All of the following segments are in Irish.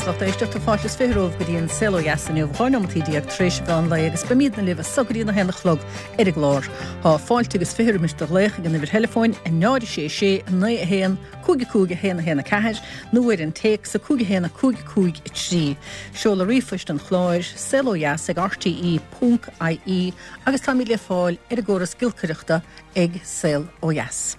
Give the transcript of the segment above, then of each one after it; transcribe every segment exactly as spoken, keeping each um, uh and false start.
Agus lucht éisteachta fáilte is fiche romhaibh go dtí an Saol Ó Dheas inniu dhá nóimeataí déag tar éis an mheán lae agus beimidne libh as so go dtí a haon a chlog ar an gclár. Tá fáilte agus fiche roimis do ghlaoch ag an uimhir theileafóin a náid sé sé naoi a haon cúig cúig a haon a haon a ceathair nó ar an téacs a cúig a haon a cúig cúig a trí. Seoladh ríomhphoist an chláir saol ó dheas ag RTE ponc IE agus táimid le fáil ar an gcóras giolcaireachta ag Saol Ó Dheas.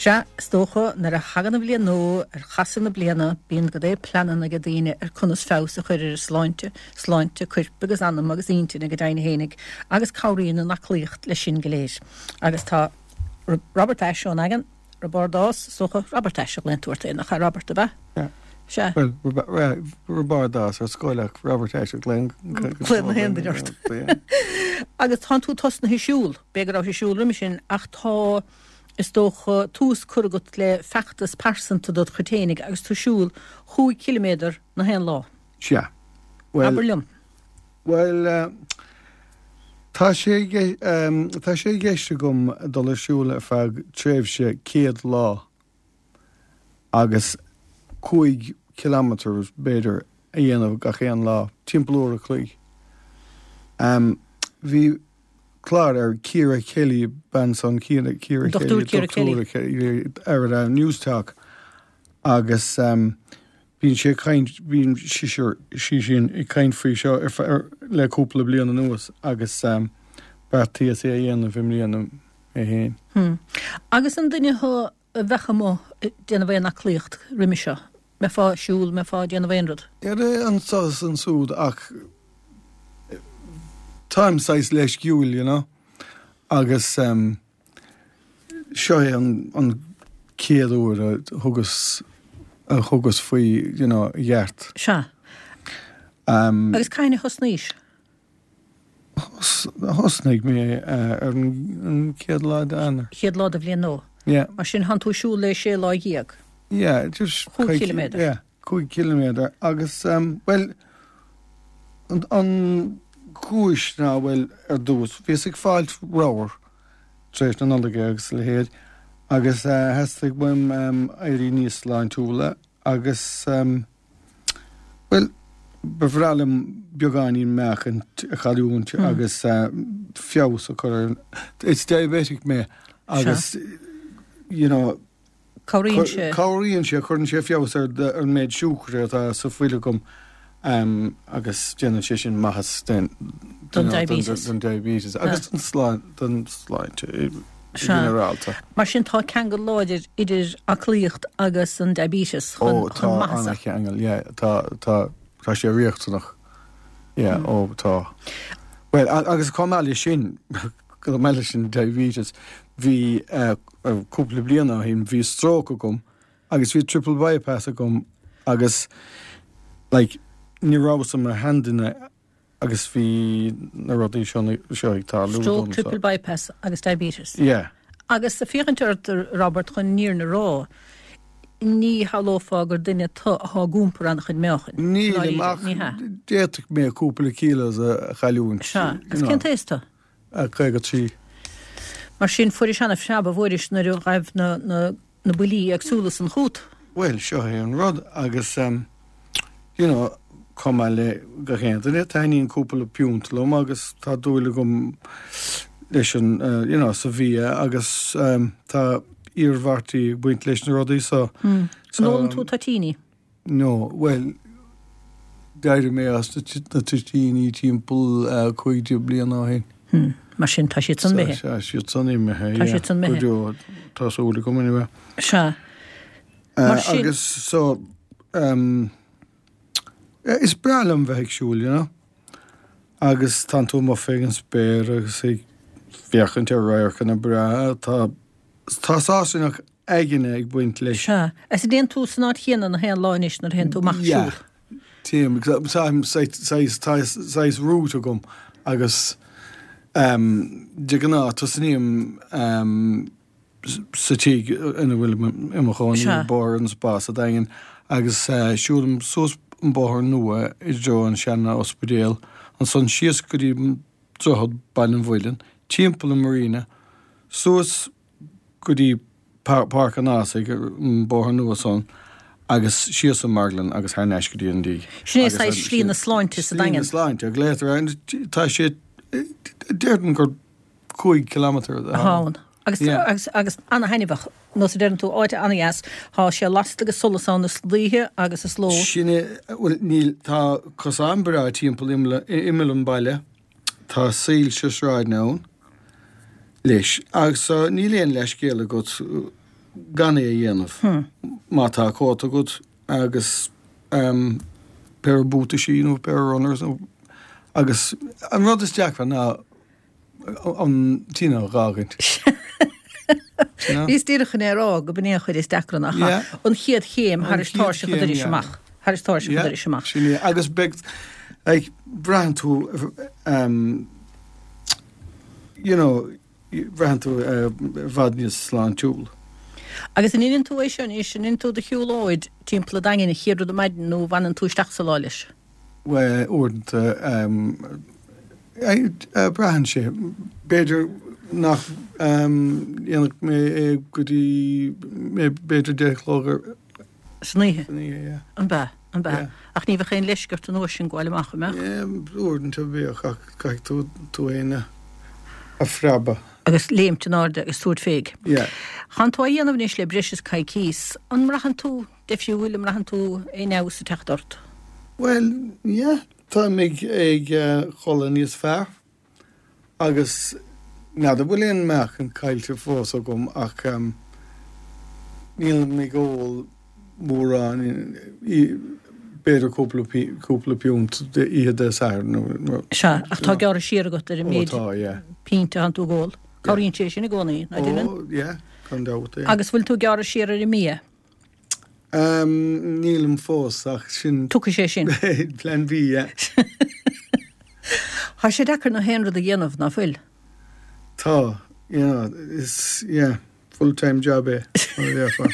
Sea, is dócha nuair a thagann an bhliain nua ar chasadh na bliana bíonn go leor pleananna ag daoine ar conas feabhas a chur ar a sláinte, sláinte coirp agus anam agus intinne go deimhin fhéinig agus cabhraíonn an aclaíocht leis sin go léir. Agus tá Robert Ashe ón Daingean, Roibeárd Ás, is dócha Robert Ashe a ghlaonn tú ort féin nach ea Robert ab ea? Sea. Well, Roibeárd Ás ar scoil ach Robert Ashe a ghlaonn Glaonn na haon duine ort. Agus tánn tú tosnaithe ag siúl, b'fhéidir go raibh tú ag siúl roimhe sin ach tá is dócha tús curtha agat le feachtas pearsanta dod chuid fhéinig agus tú ag siúl chúig chiliméadar na haon lá. Sea. Well, Abair liom. Well, uh, tá sé um, tá sé i gceist agam dul ar siúl ar feadh tréimhse céad lá agus cúig kilometer b'fhéidir a dhéanamh gach aon lá, timpeall uair a chloig. Um, bhí clár ar Ciara Kelly bean san Ciara Ciara Dr. Kelly Ciara Kelly. Kelly ar uh, Newstalk agus um, bíonn sé caint bíonn sí sí sin ag caint faoi seo ar fe- ar- le cúpla bliain anuas agus um, beartaíos é a dhéanamh i mbliana mé féin. Hmm. Agus an duine thú a bheadh amuigh ag déanamh aon aclaíocht roimhe seo, mbeifeá ag siúl, mbeifeá ag déanamh aon rud. Ar anseo is ansúd ach táim saghas leisciúil, you know? agus um, seo é an, an chéad uair a thugas a thugas faoi you know, gheart. Sea. Um, Agus cathain a thosnaís? Thosnaigh mé uh, ar an, an chéad lá d'Eanáir. Chéad lá den bhliain nua. Yeah. Mar sin tánn tú ag siúl le sé lá dhéag. Yeah, just Cúig cúig- ciliméadar. Yeah, cúig ciliméadar agus um, well an, an chúis ná bhfuil ar dtús bhíos ag fáilt ramhar tar éis na Nollag agus a leithéid agus uh, theastaigh uaim um, éirí níos sláintiúla agus um, well ba bhreá liom beagáinín meáchain a chailliúint Mm. agus uh, feabhas a chur ar It's diabetic mé agus you know Cabhraíonn sé. Cabhraíonn sé chuireann sé feabhas ar de- ar an méid siúcra atá sa fhuil agam um, agus déanann sé sin maitheas den Don you know, diabetes. don diabetes agus don sláinte don sláinte i- Sea. ginearálta. Mar sin tá ceangal láidir idir aclaíocht agus an diabetes chun, Ó chun tá maitheasa. an-cheangal yeah, tá tá tá sé riachtanach. Yeah, Mm. ó tá. Well a- agus chomh maith leis sin go maith leis sin diabetes bhí uh, uh, cúpla bliain ó shin bhí stroke agam agus bhí triple bypass agam agus like ní rabhas i mo sheanduine agus bhí na rudaí seo seo ag tarlú Stroke, dom, so- triple bypass agus diabetes. Yeah. Agus ag féachaint ort Robert chun an fhírinne a rá, ní shamhlófá gur duine tú atá ag iompar an-chuid meáchain. Ní Dáiríre, ach ní hea. d'fhéadfadh mé cúpla kilos a chailliúint. Sea, agus cén t-aois tú? Caoga trí. Mar sin fuairis an-phreab a bhfuairis nuair a ghaibh na, na, na buillí éagsúla san chugat. Well, seo é an rud agus um, you know, chomh maith le gach aon duine taitníonn cúpla piúnt liom agus tá dúil agam leis an uh, you know, sa bhia agus um, tá iarmhairtí ag baint leis na rudaí so Hmm. so, An ólann tú toitíní. No, well d'éirigh mé as na t- na toitíní timpeall uh, cúig déag bliain ó shin. Hmm. Mar sin tá siad san imithe. Tá siad san imithe. Tá siad san imithe. Tá súil agam anyway. Sea. Uh, Mar sin- agus so um, eh, is breá liom bheith ag siúl, you know? Agus tá tú amuigh fén spéir agus ag féachaint ar radharcanna breá tá tá sásamh aigne ag baint leis. Sea. Is dtéann tú san áit chéanna na haon lá anois nuair a théann tú amach Yeah. siúl. Téim táim saghas route agam agus um, de ghnáth tosnaím um, sa tigh ina bhfuil i mo chónaí Sea. Bóthar an Spá sa Daingean agus uh, siúlaim suas an bóthar nua i dtreo an sean-ospidéal ansan síos go dtí droichead Baile an Mhuilinn, timpeall an Marina, suas go dtí Páirc an Ásaigh an bóthar nua san, Agus síos an marglann agus thar n-ais go dtí an díg. Sin é saghas slí na sláinte sa Slí na Daingean. sláinte, a glaotar air. Tá sé, déarfainn gur cúig kilometre atá ann. Agus, Yeah. agus, agus ana-thaitneamhach, nós a deireann tú, áit ana-dheas, tá sé lasta agus solas ann is oíche agus is ló. Sin é, bhuel, níl, tá cosán breá timpeall imeall, imeall an baile, tá soilse sráide ann leis, agus níl aon leithscéal agat gan é a dhéanamh. Má tá cóta agat agus um, péire buataisí nó péire runners nó agus an rud is deacra ná an tine a dh'fhágaint. You know? Bhíos díreach chun é a rá go b'in é an chuid is deacra nach Yeah. an chéad chéim An thar is chéad tairseach an chéim, dorais yeah. amach. Thar is tairseach an Yeah, dorais amach. Sin é. Agus beidh like, braitheann tú um, you know, braitheann tú uh, i bhfad níos sláintiúil. Agus an ndéanann tú é sin is an ndéanann tú do shiúlóid timpeall an Daingin an chéad rud ar maidin nó bhaineann tú isteach sa lá leis. Well, uaireanta um, uh, braitheann sé. B'fhéidir nach um, dhéanfadh mé é go dtí mé b'fhéidir deich a chlog ar San oíche. san oíche, yeah. An ba, an ba. Yeah. Ach ní bheadh aon leisce ort an uair sin gabháil amach an mbeadh. Yeah, uaireanta bheadh ach caithfidh tú tú féin a a phreabadh. Agus léimt in airde agus tabhairt féig. Yeah. Tánn tú á dhéanamh anois le breis is coicís, an mbraitheann tú difriúil an mbraitheann tú aon fheabhas ag teacht ort. Well, yeah, táim ag ag uh, codladh níos fearr agus n'fheadar bhfuil aon meáchan caillte fós agam ach um, níl mé ag ól mórán i- b'fhéidir cúpla pi- cúpla piúnt de oíche Dé Sathairn nó nó- Sea, ach tá gearradh siar agat ar an Ó, méid tá, yeah. pínte atánn tú ag ól. Cabhraíonn sé sin i gcónaí, ná deineann? Ó, yeah, gan dabht, yeah. Agus bhfuil tú gearradh siar ar an mbia? Um, nílim fós ach sin Tiocfaidh sé sin. Plan B, yeah. Tá sé deacair na haon rud a dhéanamh ná fuil. Tá, you know, is yeah, full-time job é. mar a déarfá.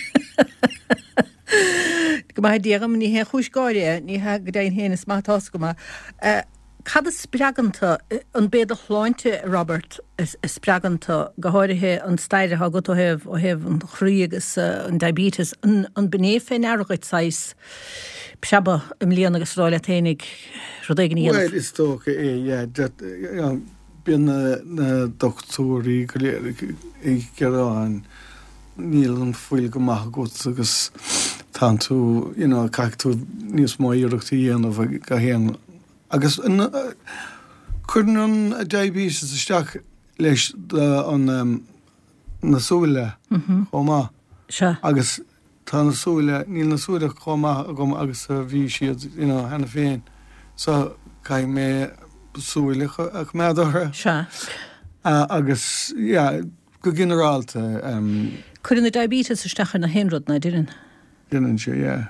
Go maith Dia dhom ní hé chúis gáire ní he go deimhin féin is maith tá go maith. Eh, Cad a spreagann tú an b'é do shláinte Robert is is spreagann tú go háirithe an stair atá agat ó thaobh ó thaobh an chroí agus eh, an diabetes an an b'in é fé ndeara dhuit saghas preabadh i mbliana agus rá leat féinig rud éigin a dhéanamh. Well, is dócha é, yeah, that, you know, bíonn na, na dochtúirí go léir ag ag gearán níl an fuil go maith agat agus tánn tú, you know, caithfidh tú níos mó iarracht a dhéanamh ag go haon. Agus an, uh, cuireann an diabetes isteach leis de, an um, na súile chomh maith. Sea. Agus tá na súile, níl na súile chomh maith agam agus a bhí siad, you know, cheana féin. So caithfidh mé súile a choimeád orthu. Sea. Uh, agus, yeah, go ginearálta um, Cuireann na diabetes isteach ar na haon rud ná deineann. Déanann sé, yeah.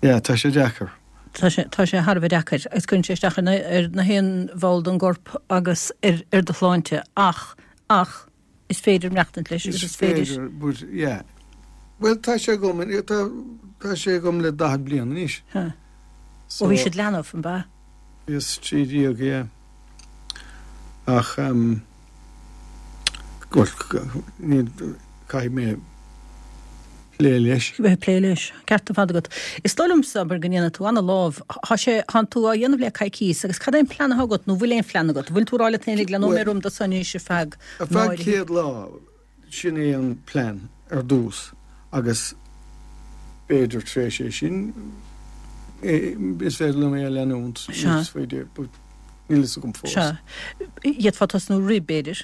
Yeah, tá sé deacair. Tá sé tá sé thar a bheith deacair agus cuireann sé isteach ar na ar na haon bhall den gcorp agus ar ar do shláinte ach ach is féidir maireachtaint leis agus is féidir. but yeah. Well, tá sé agam, tá, tá sé agam le daichead bliain anois. Ha. So, Ó bhí siad leanbh an ba. Is trí déag, yeah. Ach, um, well, ní caithfidh mé plé leis. Bheith plé leis, ceart ar fad agat. Is dóigh liomsa gur go ndéanann tú ana-lámh, Tá sé tánn tú á dhéanamh le coicís agus cad é an plean agat nó bhfuil aon phlean agat, bhfuil tú rá leat féinig le Well- nóiméad do san sé feadh Ar feadh céad lá, sin é an plean ar dtús agus b'fhéidir tar éis é sin é- is féidir liom é a leanúint Sea. níos faide, but níl fhios agam fós. Sea. D'fhéadfá tosnú roimh b'fhéidir,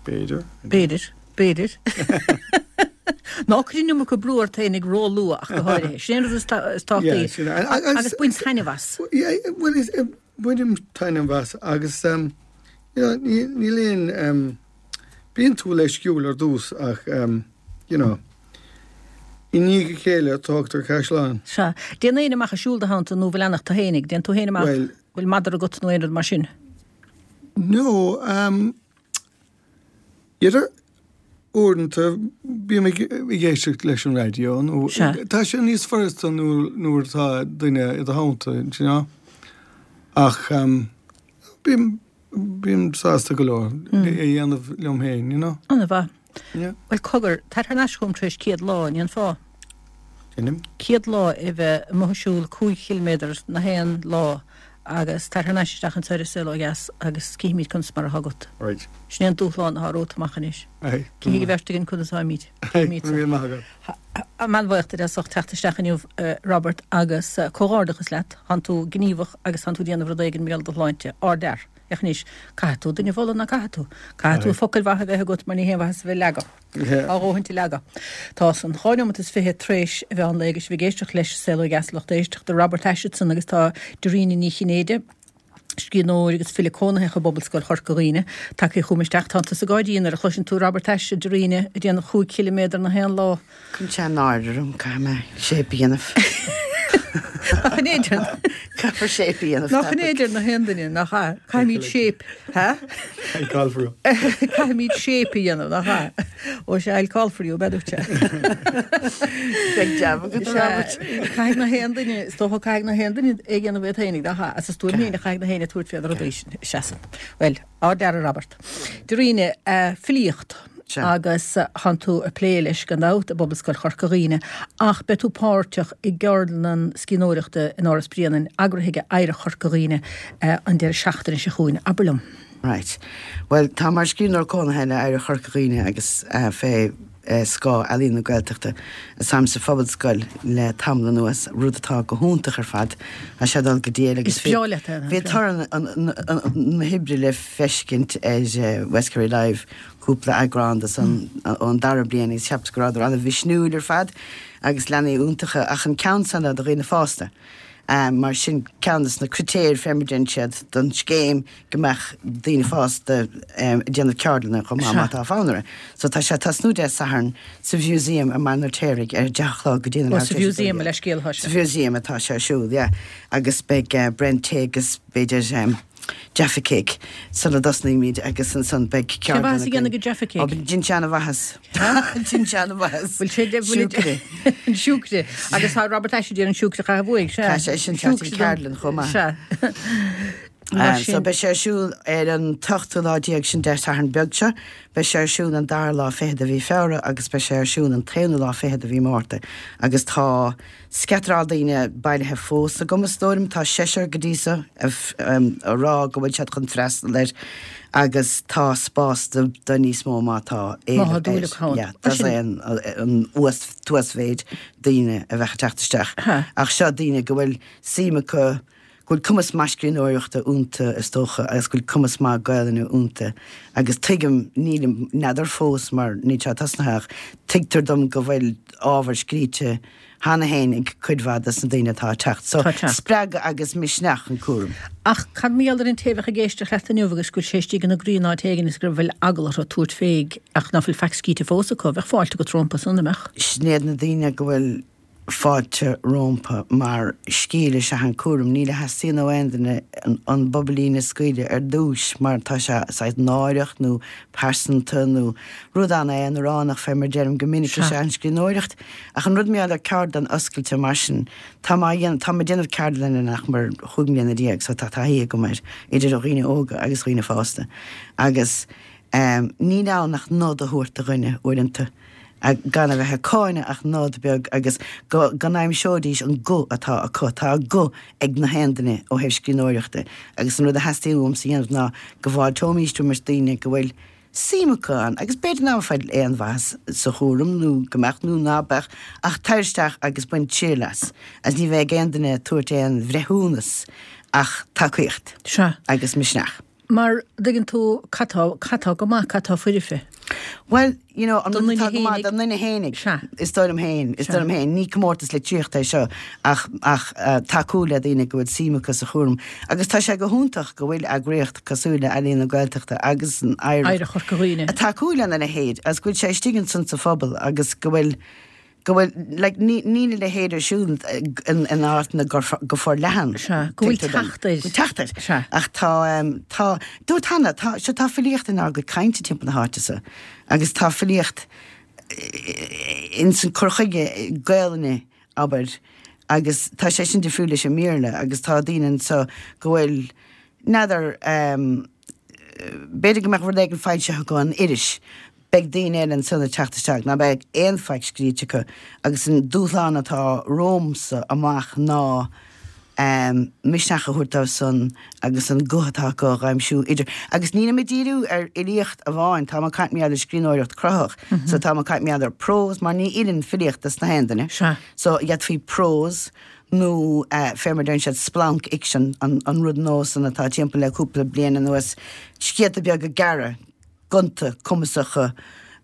B'fhéidir. b'fhéidir, b'fhéidir. Ná cuir an iomarca brú ort féinig ró-luath ach go háirithe. Sin rud is tá- is tábhachtaí. Yeah, sin é. Agus- Agus bain taitneamh as. Yeah, well, is bainim taitneamh as agus um, you know, ní- níl aon um, bíonn tú leisciúil ar dtús ach um, you know, i ndiaidh a chéile tógtar caisleán. Sea. Déan éin amach a siúl do theannta nó bhfuil eanach tú féinig, déan tú féin amach Well- bhfuil madra agat nó aon rud mar sin. No, um, idir uaireanta bím ag ag éisteacht leis an raidió nó Sea. tá sé níos furasta nuair nuair atá duine i do theannta, do you know? Ach um, bím bím sásta go leor é a dhéanamh liom féin, you know? Ana-mhaith. Yeah. Well cogar, tar thar n-ais chugam tar éis céad lá, ní an fáth. Deinim. Céad lá a bheith amuigh ag siúl cúig chiliméadar na haon lá agus tar thar n-ais isteach anso ar An Saol Ó Dheas agus cífimid conas mar atá agat. Right. Sin é an dúshlán atá romhat amach anois. Aye. Cífidh an bheirt againn conas atáimid. Aye, Cífimid. go raibh míle maith agat. Táim an-bhuíoch duit as ucht teacht isteach inniu, Robert, agus comhghairdeachas leat. Tánn tú gníomhach agus tánn tú ag déanamh rud éigin mar gheall ar do shláinte. Ardfhear. Ach anois, caithfidh tú duine a mholadh, ná caithfidh tú? Caithfidh tú focail mhaithe a bheith agat mar ní haon mhaitheas a bheith ag leagadh. Á dhóthaint ag leagadh. Tá san dhá neomat is fiche tar éis a mheán lae agus sibh ag éisteacht leis An Saol Ó Dheas lucht éisteachta Robert Asherson agus tá Dairena Ní Chinnéide, scríbhneoir agus file cónaitheach i bPobalscoil Chorca Dhuibhne, tagtha chugam isteach. Tá tusa ag gáirí nuair a chloiseann tú Robert Ashe, a Dairena, ag déanamh chúig chiliméadar na haon lá. Cuireann sé náire orm, caithfidh mé shape a dhéanamh. Nach in éidir? Caithfear shape a dhéanamh. Nach in éidir na haon duine, nach ea? Caithfimid shape, ha? I'll call for you. Caithfimid shape a dhéanamh, nach ea? Ó sea, I'll call for you, b'fhéidir sé. Beidh jab agat, a Robert. Caithfidh na haon duine, is dócha caithfidh na haon duine é a dhéanamh iad féinig, nach ea? As a stuaim féin a chaithfidh na haon tabhairt fé na rudaí sin, seasann. Bhuel, ardfhear a Robert. Dairena, filíocht. Sea. Agus tánn tú ag plé leis gan dabht i bPobalscoil Chorca Dhuibhne, ach beidh tú páirteach i gceardlann scríbhneoireachta in Áras Bréanainn, eagraithe ag Oidhreacht Chorca Dhuibhne an deireadh seachtaine seo chugainn. Abair liom. Right. Bhuel, tá mar scríbhneoir cónaithe le Oidhreacht Chorca Dhuibhne agus fé scáth Ealaíon na Gaeltachta táim sa Phobalscoil le tamall anuas, rud atá go hiontach ar fad. Tá sé ag dul go diail agus Is breá leat é, bhí toradh na hoibre le feiscint ar West Kerry Live cúpla eagrán de san ón dara bliain agus cheapas go rabhadar an-mhisniúil ar fad agus leanaí iontacha ach an ceann san do dhaoine fásta. Um, mar sin ceann de na critéir fé mar a deineann siad don scéim go mbeadh daoine fásta um, ag déanamh ceardlanna chomh maith má tá fonn orthu. So tá sé ag tosnú Dé Sathairn sa Mhúseum i mBaile an Fheirtéaraigh ar deich a chlog go dtí Ó, sa Mhúseum le scéal atá sé. Sa Mhúseum atá sé ar siúl, yeah. Agus beidh uh, Brent tae agus b'fhéidir um, Jaffa Cake sula dtosnaímid agus ansan beidh Cé mhaith a dhéanamh go Jaffa Cake? Ó, Dein sé an-mhaitheas. Dein sé an-mhaitheas. Bhfuil sé de Siúcra. An siúcra. Agus tá Robert Ashe déanamh an siúcra chaith bhuaigh, sea. Tá sé sin teacht an ceardlann chomh maith. Sea. Mar Um, so sin- beidh sé ar siúl ar an t-ochtú lá déag sin Dé Sathairn beag seo, beidh sé ar siúl an dara lá fiche de mhí Feabhra agus beidh sé ar siúl an t-aonú lá fiche de mhí Márta. Agus tá scatráil daoine bailithe fós agam is dóigh liom, tá seisear go dtí seo a f- um, a rá go bhfuil siad chun freastal air agus tá spás do, do níos mó má tá Má tá dúil acu ann. Yeah, tá Sin- é an, an uas tuasmhéid daoine a bheith ag teacht isteach. Ha. Ach seo daoine go bhfuil suim acu go bhfuil cumas maith scríbhneoireachta iontu is dócha agus go bhfuil cumas maith Gaelainne iontu agus tuigim nílim n'fheadar fós mar níl sé tosnaithe ach tuigtear dom go bhfuil ábhar scríte cheana féin ag cuid mhaith des na daoine atá ag teacht. So Tá teacht. spreagadh agus misneach an cúram. Ach cad mar gheall ar an té a bheadh ag éisteacht leat inniu agus go bhfuil sé istigh ina gcroí in áit éigin is go bhfuil eagla orthu tabhairt féig ach ná fuil faic scríte fós acu, bheadh fáilte agat rompu san, an mbeadh? Sin iad na daoine go bhfuil fáilte rompu mar scil is ea an cúram níl a theastaíonn ó aon duine an, an bubailín a scaoileadh ar dtús mar tá sé saghas náireach nó pearsanta nó rud an-aonaránach fé mar deirim go minic is ea an scríbhneoireacht ach an rud mar gheall ar ceardlann oscailte mar sin tá má tá mé ag déanamh ceardlanna nach mar chúig mbliana déag so tá taithí agam air idir dhaoine óga agus dhaoine fásta agus um, níl ann ach nod a thabhairt do dhuine uaireanta a gan a bheith ag cáineadh ach nod beag agus go go n-aimseoidís an guth atá acu tá guth ag na haon duine ó thaobh scríbhneoireachta agus an rud a theastaíonn uaimse a dhéanamh ná go bhfáilteoimís roimh daoine go bhfuil suim acu ann agus b'fhéidir ná fuil aon mhaitheas sa chúram nó go mbeadh nó ná beadh ach tar isteach agus bain triail as agus ní bheidh aon duine tabhairt aon bhreithiúnas ach tacaíocht Sea. agus misneach. Mar dtuigeann tú cad tá cad tá go maith cad tá foirfe. Well, you know, an Don rud duine atá go maith fhéinig. don duine fhéinig. Sea. Is dóigh liom féin, is Sea. dóigh liom féin, ní comórtas litríochta é seo ach ach uh, tacú le daoine go bhfuil suim acu sa chúram. Agus tá sé go hiontach go bhfuil eagraíocht cosúil le Ealaíon na Gaeltachta agus an Oidhreacht Oidhreacht Chorca Dhuibhne. a tacú lena leithéid agus go bhfuil sé istigh ansan sa phobal agus go bhfuil go bhfuil like, ní ní le leithéid ar siúl in in áit na go go forleathan. Sea, go bhfuil Tuigtear dom. teacht air. Go bhfuil teacht air. Sea. Ach tá um, tá dúirt Hanna tá se tá filíocht inár gcuid cainte timpeall na háite seo agus tá filíocht in san cur chuige Gaelainne abair agus tá sé sin difriúil leis an mBéarla agus tá daoine anseo go bhfuil n'fheadar um, b'fhéidir go mbeadh rud éigin foilsithe acu in iris Beidh daoine eile ansan ag teacht isteach ná beidh aon faic scríte acu agus an dúshlán atá romhamsa amach ná misneach a thabhairt dóibh san agus an guth atá acu a aimsiú idir agus nílim ag díriú ar fhilíocht amháin, táim ag caint mar gheall ar scríbhneoireacht cruthaitheach so táim ag caint mar gheall ar prós mar ní fheileann filíocht dos na haon duine so d'fhéadfaí prós nó fé mar deireann siad splancfhicsean an rud nua san atá timpeall le cúpla bliain anuas, scéalta beaga gearra. gonta, cumasacha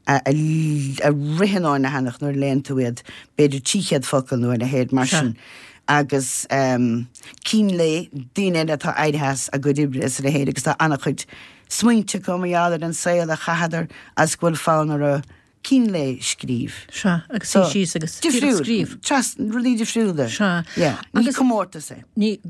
a ritheann ón leathanach nuair a léann tú iad, b'fhéidir trí chéad focal nó a leithéid mar sin, agus cinn lae, daoine eile atá éirithe as a gcuid oibre is a leithéid agus tá an-chuid smaointe acu mar gheall ar an saol a chaitheadar agus go bhfuil fonn orthu cinn lae a scríobh. Sea, agus suí síos agus díreach scríobh. Trasna, rudaí difriúla. Sea. Yeah. Ní comórtas é. Ní,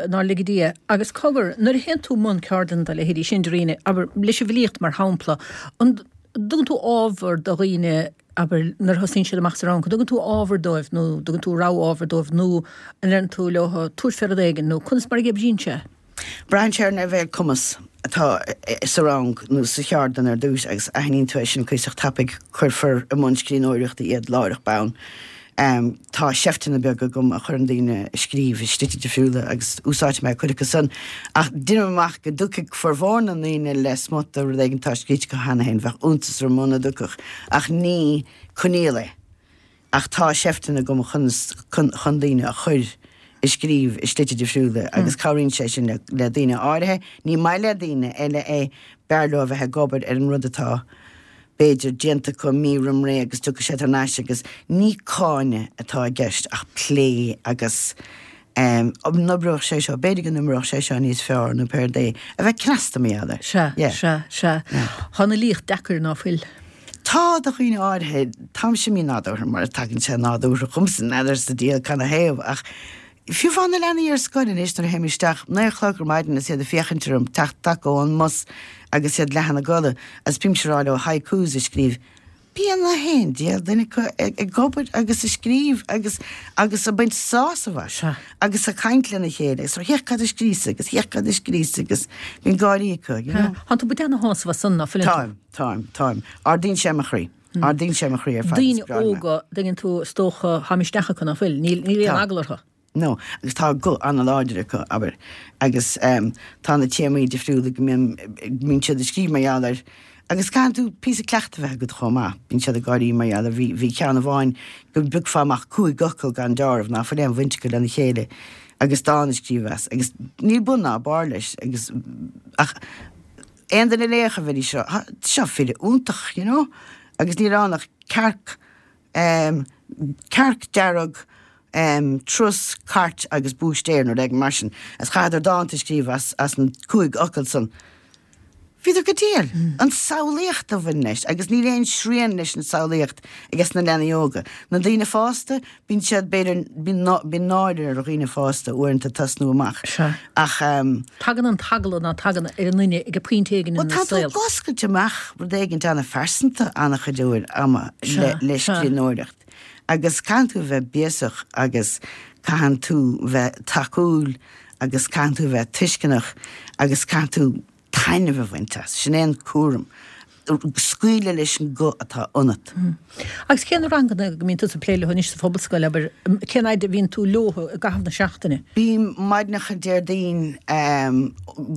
nár lige Dia. Agus cogar, nuair a théann tú i mbun ceardlann dá leithéidí sin, Dairena, abair, leis an bhfilíocht mar shampla, an dtugann tú ábhar do dhaoine, abair, nuair a thosaíonn siad amach sa rang, an dtugann tú ábhar dóibh nó dtugann tú rogha ábhar dóibh nó an ndeireann tú leo tabhair fé rud éigin nó conas mar a oibríonn sé? Braitheann sé ar an leibhéal cumas atá sa rang nó sa cheardlann ar dtús agus aithníonn tú é sin cuíosach tapaidh, cuirfear i mbun scríbhneoireachta iad láithreach bonn. Tá seifteanna beaga agam a chuireann daoine ag scríobh i slite difriúla agus úsáidfidh mé cuid acu san ach deinim amach go dtiocfaidh formhór na ndaoine le smut de rud éigin atá scríte acu cheana féin, bheadh iontas orm muna dtiocfadh ach ní coinníoll é. Ach tá seifteanna agam chun chun daoine a chur ag scríobh i slite difriúla agus cabhraíonn sé sin le daoine áirithe. Ní maith le daoine eile é, b'fhearr leo a bheith ag obair ar an rud atá, b'fhéidir, déanta acu mí roim ré agus tiocfaidh siad thar n-ais agus ní cáineadh atá i gceist ach plé agus an n-oibreodh sé seo, b'fhéidir go n-oibreodh sé seo níos fearr nó pé rud é, a bheith cneasta mar gheall air. Sea, sea, sea. Tá an fhilíocht deacair ná fuil? Tá, do dhaoine áirithe. Táimse mí-nádúrtha mar tagann sé nádúrtha chugam-sa, n'fheadar sa diabhal canathaobh, ach fiú fá na leanaí ar scoil anois nuair a théim isteach, naoi a chlog ar maidin is iad ag féachaint orm, teacht acu ón mbus agus iad leath ina gcodladh agus bímse ag rá leo haikus a scríobh. Bíonn na haon diabhal duine acu ag obair agus ag scríobh agus agus ag baint sásamh as agus ag caint lena chéile agus féach cad a scríos agus féach cad a scríos agus bíonn gáirí acu, you know. Tá tú ag baint ana-shásamh as san, ná fuileann tú? Táim. Táim, táim. Ardaíonn sé mo chroí. Ardaíonn sé mo chroí ar fad. Daoine óga, dtuigeann tú, is dócha, tá misneach acu, ná fuil? Níl, níl aon Tá. eagla orthu. No, agus tá guth an-láidir acu, abair. Agus tá na téamaí difriúla go mbíonn, go mbíonn siad ag scríobh mar gheall air. Agus caitheann tú píosa cleachtaidh a bheith agat chomh maith. Bíonn siad ag gáirí mar gheall air. Bhí, bhí ceann amháin go bpiocfá amach cúig fhocal gan deáramh ná fuil aon bhaint acu lena chéile agus dán a scríobh as. Agus níl bun ná barr leis agus, ach, Aon duine a léifeadh a bheidís ag rá, seo file iontach, you know, agus níl ann ach cearc, em, cearc dearg, em, trus, cairt agus búistéir nó rud éigin mar sin. Agus chaitheadar dánta a scríobh as, as an cúig fhocal san. Bhíodar go diail. An samhlaíocht a bhain leis, agus níl aon srian leis an samhlaíocht ages na leanaí óga. Na daoine fásta, Bíonn siad, b'fhéidir, bíonn náire ar dhaoine fásta uaireanta tosnú amach Sea. ach. Tagann an t-eagla ná tagann ar an nduine ag pointe éigin Bhuel ina tá tú saol. ag oscailt amach rud éigint an-phearsanta an-chuid uair ama Sea, le sea. scríbhneoireacht agus caitheann tú a bheith béasach agus caitheann tú bheith tacúil agus caitheann tú a bheith tuisceanach agus caitheann tú taitneamh a bhaint as. Sin é an cúram. Scaoileadh leis an guth atá ionat. Agus cé na ranganna go mbíonn tusa ag plé leo anois sa Phobalscoil, abair, cén fhaid a bhíonn tú leo i gcaitheamh na seachtaine? Bím maidneacha Déardaoin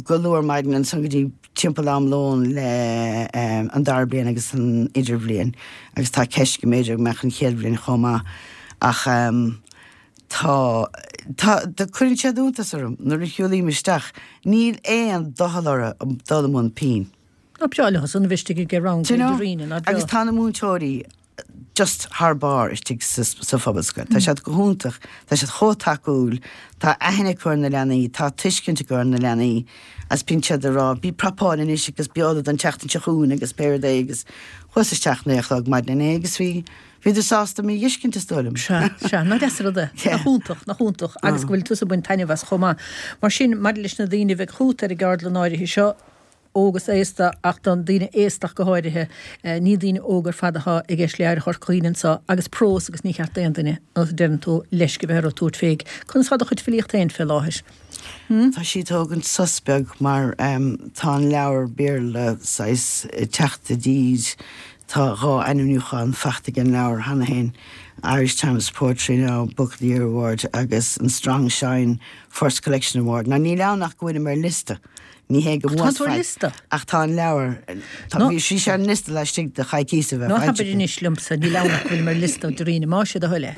go luath ar maidin, ansan go dtí timpeall am lóin le an dara bliain agus an idirbhliain agus tá ceist go mb'fhéidir go mbeadh an chéad bhliain chomh maith ach tá, tá, cuireann siad iontas orm nuair a shiúlaím isteach, níl aon doicheall orthu dul i mbun pinn. Nach breá leo san a bheith istigh ag rang Do you know? Dairena, nach Agus breá. tá na múinteoirí just thar barr istigh sa, sa Phobalscoil. Tá siad go hiontach, tá siad chomh tacúil, tá aithne acu ar na leanaí, tá tuiscint acu ar na leanaí agus bíonn siad ag rá, bí prapáil anois agus bí ullamh don tseachtain seo chugainn agus pé rud é agus chuas isteach naoi a chlog maidin inné agus bhí, bhíodar sásta mé a dh'fheiscint is dóigh liom. Sea, sea, nach deas an rud é. Yeah. Nach iontach, nach iontach agus go bhfuil tusa ag baint taitneamh as chomh maith. Mar sin, maidir leis na daoine a bheidh chugat ar an gceardlann áirithe seo, óg is aosta, ach don daoine aosta ach go háirithe, ní daoine óga ar fad atá i gceist le hAire Chorca Dhuibhne anseo, agus prós agus ní cheart d'aon duine, a deireann tú, leisce a bheith orthu tabhairt fé. Conas tá do chuid filíochta féin fé láthair? Tá sí ag tógaint sos beag mar tá an leabhar Béarla saghas ag teacht i dtír, tá dhá ainmniúchán faighte ag an leabhar cheana féin, Irish Times Poetry Now Book of the Year Award agus an Strong Shine First Collection Award. Now níl ann ach go bhfuilim ar liosta. Ní hé go Tá tú ar liosta? Ach tá an leabhar bhí sí sé an liosta laistigh de choicís a bheith Ná habair anois liomsa níl ann ach go bhfuilim ar liosta Dairena más é do thoil é.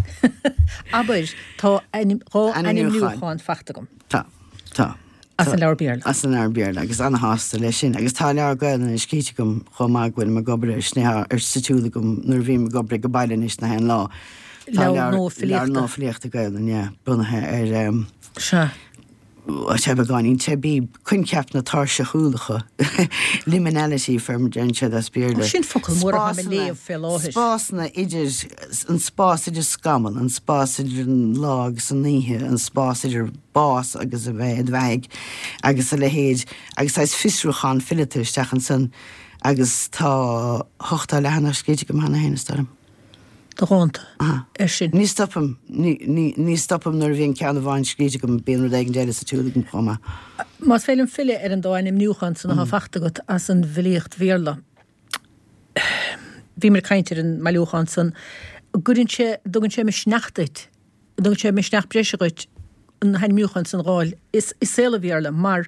Abair tá dhá ainmniúchán faighte agam. Tá tá. As an leabhar Béarla. As an leabhar Béarla agus an-shásta leis sin agus tá leabhar Gaelainne scríte agam chomh maith go bhfuilim ag obair air sin ar sa tsiúl agam nuair a bhím ag obair go baile anois na haon lá. Leabhar nua filíochta. Leabhar nua filíochta Gaelainne, yeah, bunaithe ar um, Sea. Tá beagáinín teibí, coincheap na tairseachúlacha, liminality fé mar deireann siad as Béarla. Sin focal mór atá mé léamh fé láthair. Spásanna idir, an spás idir scamall, an spás idir an lá agus an oíche, an spás idir bás agus a bheith id bheathaidh agus a leithéid, agus saghas fiosrúchán fileata isteach ansan agus tá ochtó leathanach scríte agam cheana féin, is dóigh liom. De dhánta ar sin. Ní stopaim, ní stopaim nuair a bhíonn ceann amháin scríte agam, bíonn rud éigin eile sa tsiúl agam chomh maith. Más féidir liom filleadh ar an dá ainmniúchán san atá faighte agat as an bhfilíocht Bhéarla. Bhíomar ag caint ar an mbailiúchán san. Gcuireann sé, dtugann sé misneach duit, dtugann sé misneach breise dhuit na hainmniúcháin san a dh'fháil i saol an Bhéarla mar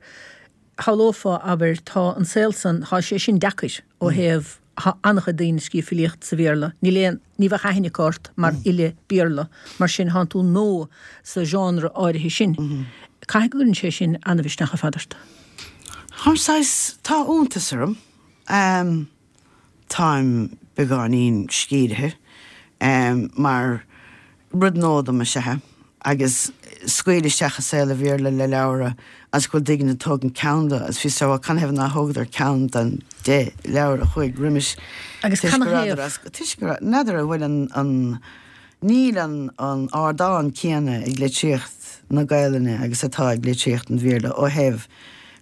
shamhlófá, abair, tá an saol san, tá sé sin deacair ó thaobh, tá an-chuid daoine ag scríobh filíocht sa Bhéarla, níl aon, ní bheadh aithne acu ort mar fhile Béarla, mar sin thánn tú nua sa genre áirithe sin. Caithfidh go gcuireann sé sin an-mhisneach ar fad ort. Táim saghas, tá iontas orm. Táim beagáinín sciorrtha mar rud nua dom is ea é agus scaoileadh isteach i saol an Bhéarla le leabhar agus go bhfuil daoine ag tógaint ceann de agus fios ar canathaobh nár thógadar ceann den deich leabhar a chuaigh roimis Agus toisc go canathaobh? rabhadar as toisc go raibh n'fheadar an bhfuil an an níl an an ardán céanna ag litríocht na Gaelainne agus atá ag litríocht an Bhéarla ó thaobh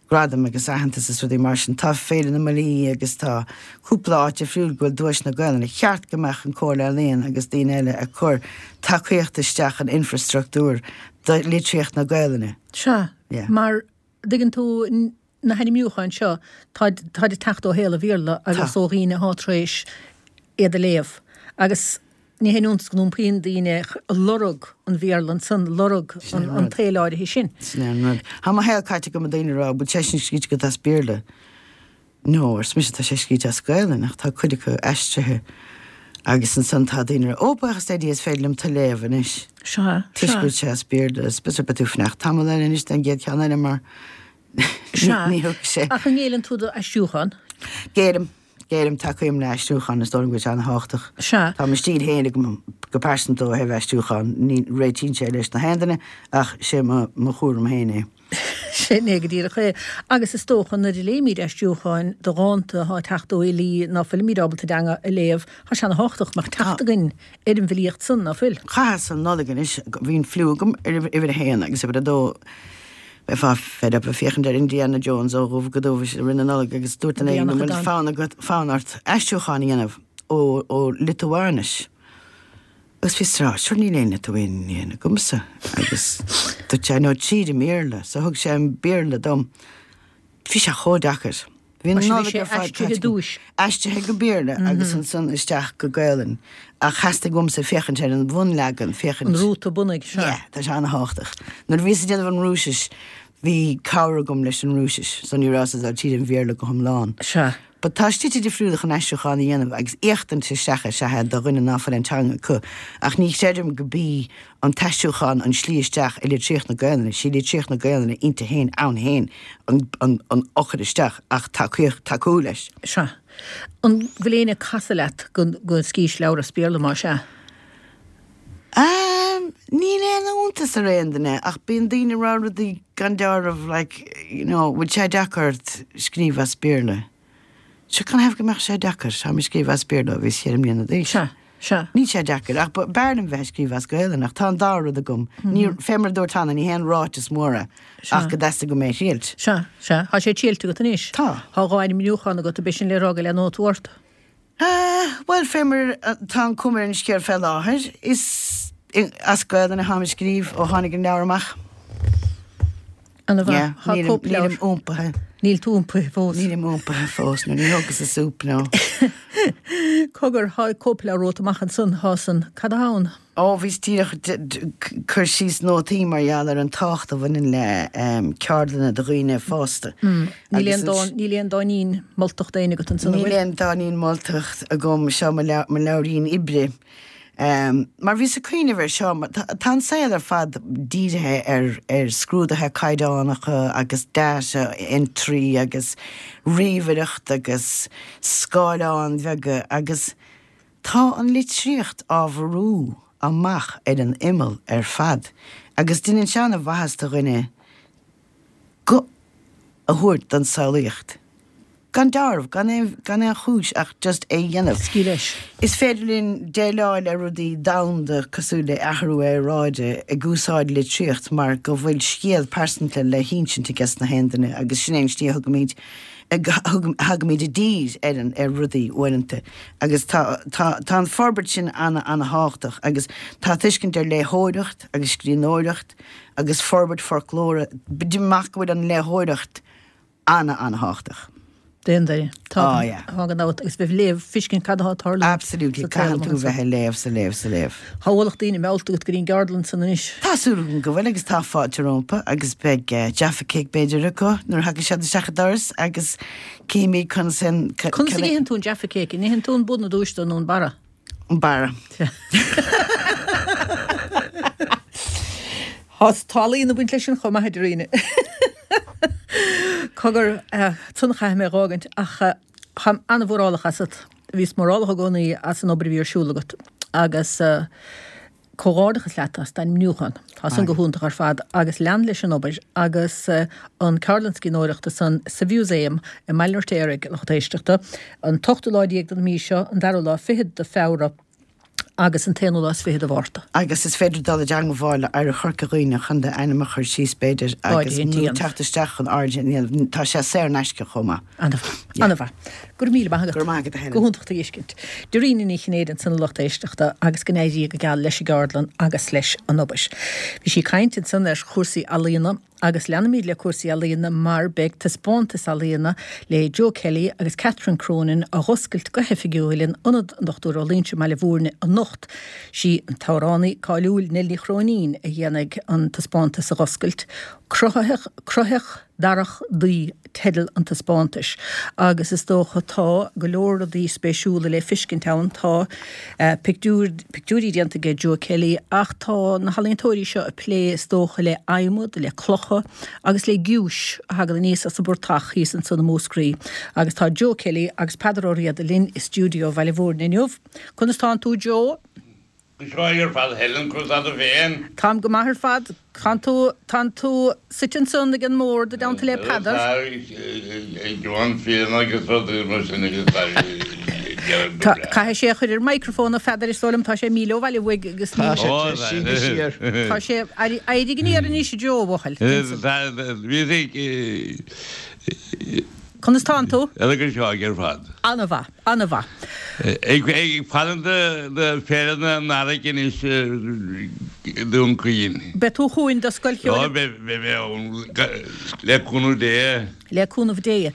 gradaim agus aitheantas is rudaí mar sin. Tá Féile na Malaí agus tá cúpla áit difriúil go bhfuil duaiseanna Gaelainne. Cheart go mbeadh an Comhairle Ealaíon agus daoine eile ag cur tacaíocht isteach in infreastruchtúr do litríocht na Gaelainne. Sea, Yeah. mar dtuigeann tú na hainmniúcháin seo, táid táid ag teacht ó shaol an Bhéarla agus Tá. ó dhaoine atá tar éis iad a léamh. Agus ní haon iontas go n-iompaíonn daoine lorg an Bhéarla ansan, lorg an tsaoil áirithe sin. Sin é an rud. Tá mo shaol caite agam ag daoine ag rá, bhfuil sé sin scríte agat as Béarla? No, arsa mise, tá sé scríte as Gaelainn, ach tá cuid acu aistrithe. Agus ansan tá daoine ag rá, ó, buíochas le Dia is féidir liom tú a léamh anois. Sea, Toisc sea. go bhfuil sé as Béarla, is b'fhéidir beidh tú ag fanacht tamall eile anois don gcéad cheann eile mar Sea. ní thiocfaidh sé. Ach an ngéilleann tú d'aistriúchán? Géillim. Géillim, tacaím le aistriúchán, is dóigh liom go bhfuil sé an-thábhachtach. Sea. Tá mo stíl féin agam go pearsanta ó thaobh aistriúchán, ní réitíonn sé leis na haon duine ach sé mo mo chúram féin é. Sin é go díreach é. Agus is dócha nuair a léimid aistriúcháin de dhánta atá ag teacht ó fhilí ná fuilimid ábalta a dteanga a léamh, tá sé ana-thábhachtach go mbeadh teacht againn ar an bhfilíocht san, ná fuil? Chaitheas an Nollaig anois, bhí an fliú agam ar uimhir a haon agus uimhir a dó. Bheifeá fed up ag féachaint ar Indiana Jones ó dhubh go dubh i rith na Nollag agus dúirt duine éigin an bhfuil fonn agat, fonn ort aistriúchán a dhéanamh ó, ó Liotuáinis. Agus bhíos ag rá, sure níl aon Lithuanian agamsa. Agus dúirt sé, no tríd an mBéarla. So thug sé an Béarla dom. Bhí sé chomh deacair. Bhí an Mar sin bhí Nollaig sé ar fad aistrithe caite agam. dtúis. Aistrithe go Béarla agus ansan isteach go Gaelainn. Ach theastaigh uaimse féachaint ar an bhunleagan, féachaint. An rúta bunaidh, sea. Yeah, tá sé an-thábhachtach. Nuair a bhíos ag déanamh an Rúisis, bhí cabhair agam leis an Rúisis, so ní rabhas ag dul tríd an Bhéarla go hiomlán. Sea. But tá slite difriúla chun aistriúchán a dhéanamh agus éachtaint isteach is ea do dhuine ná fuil an teanga acu. Ach ní chreidim go bí an t-aistriúchán an slí isteach i litríocht na Gaelainne. Sí litríocht na Gaelainne inti féin ann féin an, an, an eochair isteach ach tacaíocht, tacú leis. Sea. An bhfuil éinne ag casadh leat go, go scríobhais leabhar as Béarla más ea? Um, níl aon iontas ar aon duine ach bíonn daoine ag rá rudaí gan dealramh like, you know, bhfuil sé deacair ort scríobh as Béarla? Sure canathaobh go mbeadh sé deacair? Táim ag scríobh as Béarla ó bhíos ceithre mbliana d'aois. Sea, sea. Níl sé deacair, ach b'fhearr liom bheith ag scríobh as Gaelainn, ach tá an dá rud agam. Ní, fé mar a dúirt cheana, ní haon ráiteas mór é, ach go dteastaigh uaim é a thriailt. Sea, sea. Tá sé triailte agat anois? Tá. Tá dhá ainmniúchán agat, ab é sin le rá go leanóidh tú ort? Bhuel, fé mar atá an chuma ar an scéal fé láthair, is as Gaelainn atáim ag scríobh ó tháinig an leabhar amach. Ana mhaith. Yeah, Tá nílim, cóipleabhar. nílim iompaithe. Níl tú iompaithe fós. Nílim iompaithe fós, nó ní thógas an súp, nó. Cogar, thá cóipleabhar romhat amach ansan, thá san, cad athá ann? Ó, bhíos díreach cur síos nótaí mar gheall ar an tábhacht a bhaineann le ceardlanna do dhaoine fásta. Níl aon dán, níl aon dáinín moltach d'éinne agat ansan, an bhfuil? Níl aon dáinín moltach agam, seo mo leabhairín oibre. Mar bhíos ag cuimhneamh air seo, tá an saol ar fad dírithe ar ar scrúduithe caighdeánacha agus data entry agus ríomhaireacht agus scáileáin bheaga agus tá an litríocht á bhrú amach ar an imeall ar fad agus déanann sé an-mhaitheas do dhuine guth a thabhairt don samhlaíocht. Gan dealramh, gan aon, gan aon chúis ach just é a dhéanamh. Scaoil leis. Is féidir linn déileáil le rudaí domhanda cosúil le athrú aeráide ag úsáid litríocht mar go bhfuil scéal pearsanta le hinsint aige na haon duine agus sin é an tslí a thugaimid, a thagaimid i dtír ar an, ar rudaí uaireanta agus tá, tá, tá an forbairt sin ana, ana-thábhachtach agus tá tuiscint ar léitheoireacht agus scríbhneoireacht agus forbairt foclóra, amach go bhfuil an léitheoireacht ana, ana-thábhachtach. D'aon duine. Tá, Oh, yeah. tá gan dabht agus bheith ag léamh, feiscint cad atá ag tarlú Absolutely, sa tsaol caitheann tú amach anseo. bheith ag léamh sa léamh sa léamh. Tá ualach daoine meallta agat go dtí an gceardlann san anois. Tá súil agam go bhfuil agus tá fáilte rompu agus beidh eh, Jaffa Cake b'fhéidir acu nuair a thagann siad isteach an doras agus címid conas an Conas a itheann tú an Jaffa Cake? An itheann tú an bun ar dtús nó an barra? an barra. Tá ealaín ag baint leis sin chomh maith a Dhoirín. Cogar san chaithfidh mé a dh'fhágaint ach táim an-mhórálach asat. Bhíos mórálach i gcónaí as an obair a bhí ar siúl agat agus comhghairdeachas leat as d'ainmniúchán. Tá san go hiontach ar fad agus lean leis an obair agus an ceardlann scríbhneoireachta san sa Mhúsaem i mBaile an Fheirtéaraigh, a lucht éisteachta, an t-ochtú lá déag den mhí seo, an dara lá fichead de Feabhra. agus an t-aonú lá is fiche de Mhárta. Agus is féidir dul i dteangmháil le Oidhreacht Chorca Dhuibhne chun d'ainm a chur síos b'fhéidir agus Áirithe nó a dhéanamh. teacht isteach chun áirithe a dhéanamh. Tá sé saor in aisce chomh maith. An-mhaith. Yeah. An-mhaith. Go raibh míle maith agat. Go raibh maith agat, a Helen. Go hiontach tú a fheiscint. Doirín Ní Chinnéide ansan a lucht éisteachta agus go n-éirí go geal leis an gceardlann agus leis an obair. Bhí sí ag caint ansan ar chúrsaí ealaíona Agus leanfaimid le cúrsaí ealaíona mar beidh taispeántas ealaíona le Joe Kelly agus Catherine Cronin á dh'oscailt go hoifigiúil in Ionad an Dochtúir Ó Loingsigh i mBaile Bhúirne anocht. Sí an t-amhránaí cáiliúil Nell Ní Chróinín a dhéanfaidh an taispeántas a dh'oscailt. Cruthaitheach, Cruthaitheach Darach Daoi teideal an taispeántais agus is dócha tá go leor rudaí spéisiúla le feiscint ann. Tá pictiúir, pictiúirí déanta aige Joe Kelly ach tá na healaíontóirí seo ag plé is dócha le adhmad, le clocha agus le giúis a thagann aníos as an bportach thíos ansan i Múscraí. Agus tá Joe Kelly agus Peadar Ó Riada linn i stiúideo Bhaile Bhúirne inniu. Conas tánn tú Joe? Go breá ar fad Helen, conas tá tú féin? Táim go maith ar fad. Tánn tú, tánn tú suite ansan ag an mbord i dteannta le Peadar. Tá, ag Joan Phelan agus rudaí mar sin agus tá Tá, caithfidh sé a chur ar microphone a Pheadair is dóigh liom, tá sé míle ó bhaile uaidh agus Tá ní. sé tar éis síneadh siar. Tá sé, éirigh aniar anois a Joe, a bhuachaill. Tá, bhí sé, Conas tánn tú? Go breá ar fad. An-mhaith, an-mhaith. Ag faire do Féile na nDarach anois i Dún Chaoin. Beidh tú chugainn do Scoil Ó, Cheoil. beidh mé ann, le cúnamh Dé. Le cúnamh Dé.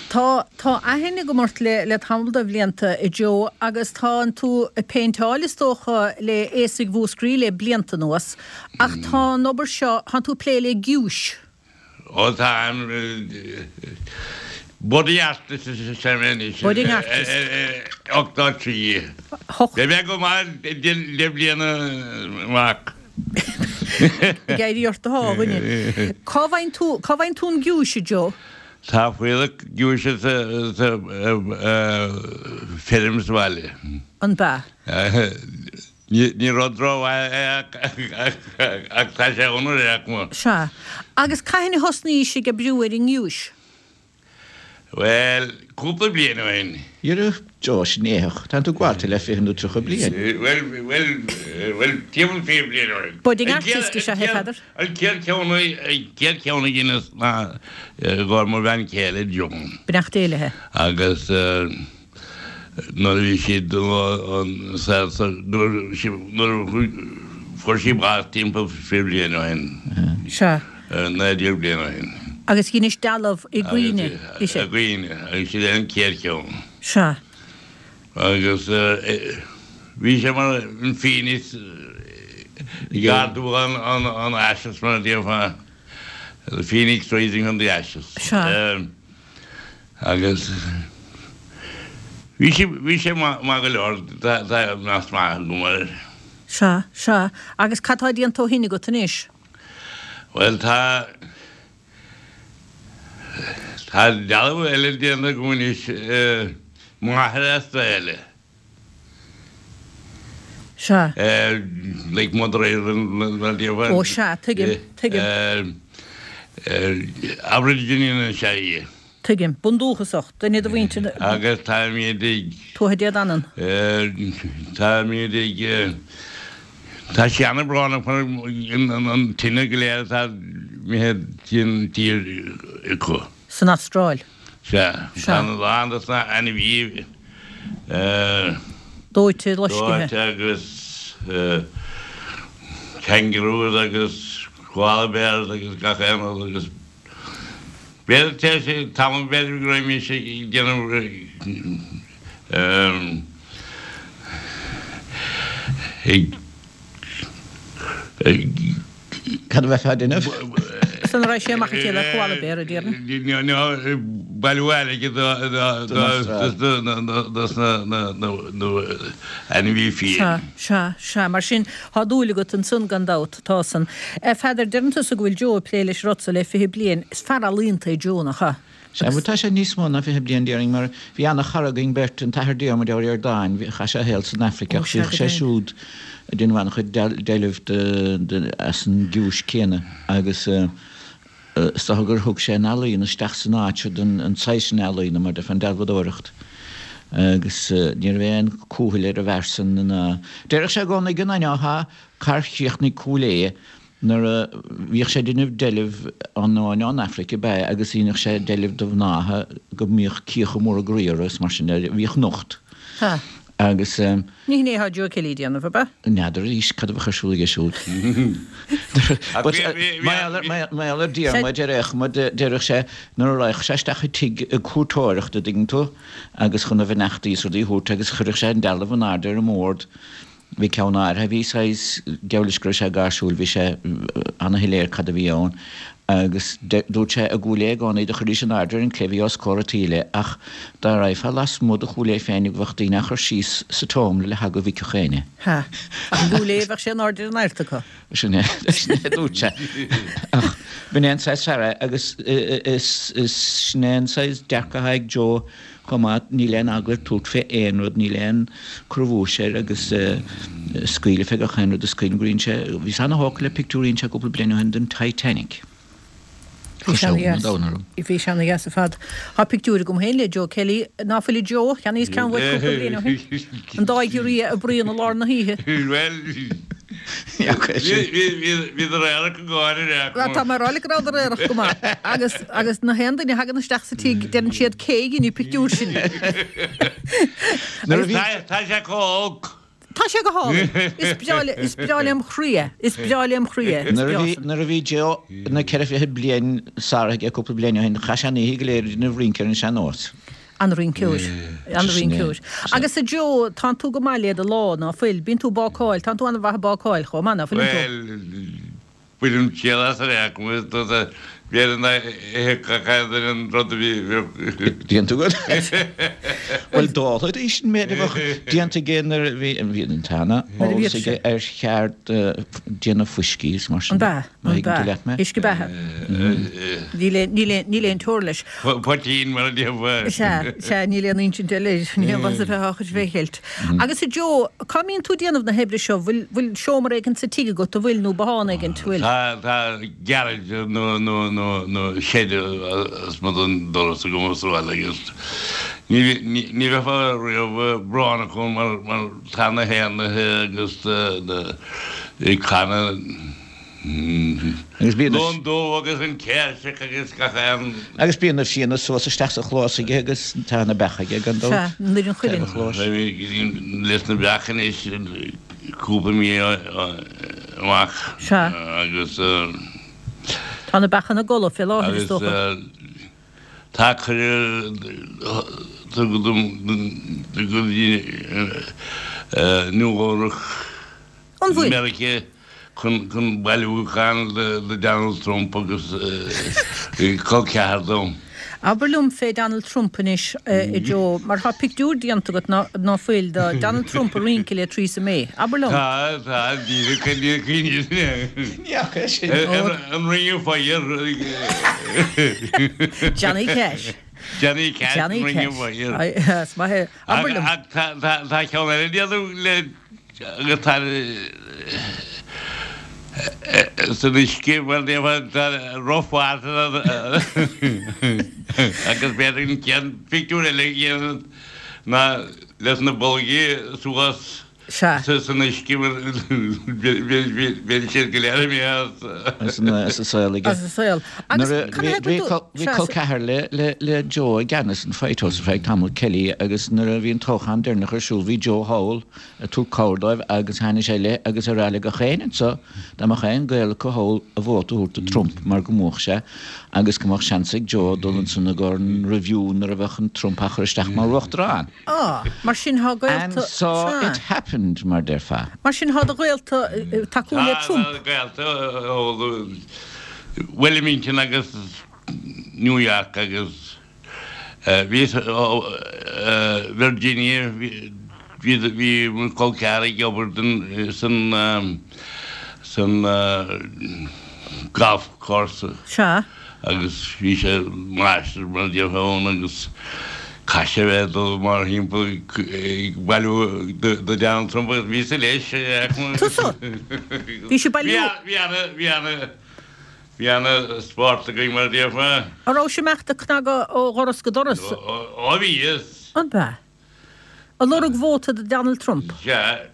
Tá, tá aithne agam ort le, le tamall de bhlianta, a Joe, agus tánn tú ag péinteáil is dócha le aosaigh Mhúscraí le blianta anuas, ach tá an obair seo, tánn tú ag plé le giúis. Ó tá budding artist is ea mé anois. Budding artist. Ochtó trí. Hocht. Beidh mé go maith deich mbliana amach. Ag éirí ort atá, a dhuine. Cá bhfaigheann tú, cá bhfaigheann tú an giúis, a Joe? Tá fuílleach giúise sa feirm sa bhaile. An b'ea? Ní rud rómhaith é ach tá sé ann ar aon chuma. Sea. Agus cathain a thosnaís ag oibriú ar an ngiúis? Bhuel, cúpla bliain ó shin. Dhera, Joe, sin éitheach. Tánn tú gaibhte le fiche nó tríocha bliain. Bhuel, bhuel, bhuel, timpeall fiche bliain ó shin. Budding artist is ea é, Peadar. An chéad cheann, an chéad cheann a dheineas ná i gcomhair mo bhean chéile, Joan. Beannacht Dé léi. Agus. Nuair a bhí siad nuair a fuair sí bás timpeall fiche bliain ó shin. Sea. Naoi déag bliain ó shin. Agus dheinis dealbh i gcuimhne, i gcuimhne, agus sin é an chéad cheann. Sea. Agus bhí sé mar an Phoenix ag ardú an ashes mar a déarfá, the Phoenix rising from the ashes. Sea. Agus bhí sé, bhí sé maith go leor, tá meas maith agam air. Sea, sea. Agus cad tá déanta ó shin agat anois? Bhuel, tá, tá dealbh eile déanta agam anois, Máthair Astráile. Sea. Like Mother Ireland, mar a déarfá. Ó sea, tuigim, tuigim. Aborigine is ea í. Tuigim. Bundúchasach, duine de mhuintir na. Agus táimid ag. Tuatha Dé Danann. Táimid ag. Tá sé an-bhrónach mar an tine go léir atá imithe den tír acu. San Astráil. Sea. Tá a lán dos na ainmhithe. Dóite, loiscthe. Dóite agus kangaroos agus koala bears agus gach aon rud agus B'fhéidir tar éis tamaill b'fhéidir go raibh mise ag déanamh ag ag Cad a bheifeá a déanamh? San raibh sé amach ag le koala bear a déarfainn. No, bailiú airgid dos na ainmhithe fiáin. Sea, sea, sea. Mar sin, tá dúil agat ansan gan dabht, tá san. A Pheadair, deireann tusa go bhfuil Joe ag plé leis an rud so le fiche bliain. Is fear ealaíonta é Joe, nach ea? Sea, bhuel tá sé níos mó ná fiche bliain déarfainn mar bhí ana-chara againn beirt, an tAthair Diarmuid Ó Ríordáin, chaith sé a shaol san Afraic ach bhíodh sé siúd ag déanamh an-chuid deilbh as an gciúis céanna agus is dócha gur thug sé an ealaíon isteach san áit seo, an saghas sin ealaíona mar déarfá, an dealbhadóireacht agus ní raibh aon cúthail ar an bhfear san ná déarfadh sé i gcónaí go n-aithneofá cár chríochnaigh Cúil Aodha Nuair a bhíodh sé ag déanamh deilbh ar ndóigh ón Afraic ab ea agus dheineadh sé deilbh de mhnáithe go mbíodh cíocha móra groí orthu is mar sin de, bhíodh nocht. Ha. Agus. Ní hin é atá Joe Kelly ag déanamh, ab ea? N'fheadar arís cad a bheadh ar siúl aige siúd. But mar gheall ar Diarmuid ar aon chuma, déarfadh sé nuair a raghadh sé isteach i tigh ag cuairteoireacht, a dtuigeann tú, agus chun a bheannachtaí is rudaí a thabhairt agus chuirfeadh sé an dealbh in airde ar an mbord, Bhí ceann áirithe a bhí saghas, geall leis go raibh sé gáirsiúil, bhí sé ana-shoiléir cad a bhí ann agus dúirt sé i gCúil Aodha i gcónaí do chuiridís in airde ar an gclé bhí os comhair an tsaoil é ach dá raghfá lasmuigh de Chúil Aodha féin bheadh daoine á chur síos sa tseomra le heagla go bhfeicfeadh éinne. Ha. Ach i gCúil Aodha bheadh sé in airde ar an airt acu. Sin é, sin é a dúirt sé. Ach b'in é an saghas fear é agus is, is, sin é an saghas dearcadh atá ag Joe Chomh maith, níl aon eagla air tabhairt fé aon rud, níl aon cur i bhfúis air agus scaoileadh fé gach aon rud is cuimhin gur dhein sé, bhíos ana-thógtha le pictiúr a dhein sé cúpla bliain ó shin den Titanic. Bhí sé ana-dheas. Bhí sé ana-dheas ar fad. Tá pictiúr agam féin le Joe Kelly, ná fuil a Joe? Cheannaíos ceann uait cúpla bliain ó shin. An dá ghiorria ag bruíon i lár na hoíche. Bhuel, bhíodar aerach go gáire ar Bhuel, tá mé ag rá leat go rabhadar aerach go maith. Agus, agus na haon duine a thagann isteach sa tigh, deireann siad cé a dhein an pictiúr sin. Nuair a bhí. Tá sé chomh holc. Tá sé go hálainn. Is breá le, is breá lem chroí é. Is breá lem chroí é. Is Nuair a breá bhí, san. nuair a bhí Joe na ceithre fichid bliain sáraithe aige cúpla bliain ó shin, chaith sé an oíche go léir ag déanamh rince ar an sean-nós. An-rinceoir. An-rinceoir. Agus a Joe, tánn tú go maith le do lámha, ná fuil? Bíonn tú ag bácáil, tánn tú an-mhaith ag bácáil chomh maith, ná fuileann tú? Bhuel, bainim triail as ar aon chuma, is dócha, b'fhéidir nach dtuigfeadh aon duine an rud a bhí. Déanta agat? Bhuel, d'ólfaidís an méid a bheadh déanta aige nuair a bhí, bhí an t-ana-eolas aige ar cheard déanamh fuiscí is mar sin An de. b'ea? Má An thuigeann tú b'ea? leat mé. Uisce beatha. Níl aon, níl aon, níl aon teora leis. Poitín mar a déarfá. Sea, sea, níl aon insint eile air, níl aon mhaith a bheith á chur fé cheilt. Agus a Joe, cá mbíonn tú ag déanamh na hoibre seo? Bhfuil, bhfuil seomra éigin sa tigh agat, a bhfuil, nó bothán éigin, bhfuil? Tá, tá garage nó, nó, nó, nó shed lasmuigh den doras agam sa bhaile agus ní, ní, ní bheifeá riamh brónach ann mar, mar tá na héanlaithe agus na, ag canadh. Agus bíonn na. Lon dubh agus an céirseach agus gach aon. Agus bíonn na fianna suas isteach sa chlós aige agus tá na beacha aige gan dabht. Sea, nuair an chuileann. Chlós. Leis na beacha anois cúpla mí amach. Sea. Agus. Tá Tá na beacha ina gcodladh fé láthair, is Agus dócha. tá cuireadh tugtha dom go dtí Nua-Eabhrac, An bhfuil? Meiriceá chun chun bailiúchán do Donald Trump agus col ceathar dom. Abair liom fé Donald Trump anois, a Joe, mar tá pictiúr déanta agat ná fuil de Donald Trump ag rince le Theresa May. Abair liom. Tá, tá, díreach ní cuimhin. Ní fhaca é sin. An Ring of Fire. Johnny Cash. Johnny Cash, Johnny Ring of Cash. Fire. Ai, Is maith é. Abair liom. Ach tá tá tá ceann eile déanta le agus tá san uisce mar tá rough water agus b'fhéidir an ceann pictiúr eile a dhéanamh ná leis na bolgaí suas Sea. san uisce mar bhí siad go léir imithe as. As an saol aige. As an saol. Agus Nuair a can I bhí have a bhí col ceathar le le le Joe i gceannas an White House ar feadh tamall Kelly agus nuair a bhí an toghchán deireanach ar siúl bhí Joe thall ag tabhairt cabhair dóibh agus tháinig sé le agus ar le gach éinne anseo dá mbeadh aon gaol acu thall a vóta a thabhairt do Trump mar go mbuafadh sé agus go mbeadh seans ag Joe dul ansan i gcomhair an review nuair a bheadh an Trump á chur isteach mar uachtarán. Ah, mar sin thá And gaolta. so Sea. it happened mar déarfá. Mar sin thá do ghaolta eh, tacú le Trump. Tá gaolta ó Wilmington agus New York agus bhí Virginia bhí bhí mo chol ceathar ag obair den san san golf course Sea. agus bhí sé máistir mar déarfá ann agus chaith sé bheith dul mar thimpeall ag bailiú do Donald Trump agus bhí sé leis. Tusa? Bhí sé bailiú? Bhí ana bhí ana bhí ana spórt againn mar déarfá. An raibh sé imeacht ag cnagadh ó dhoras go doras? Ó bhí is. An b'ea? Ag lorg vóta do Donald Trump. Sea.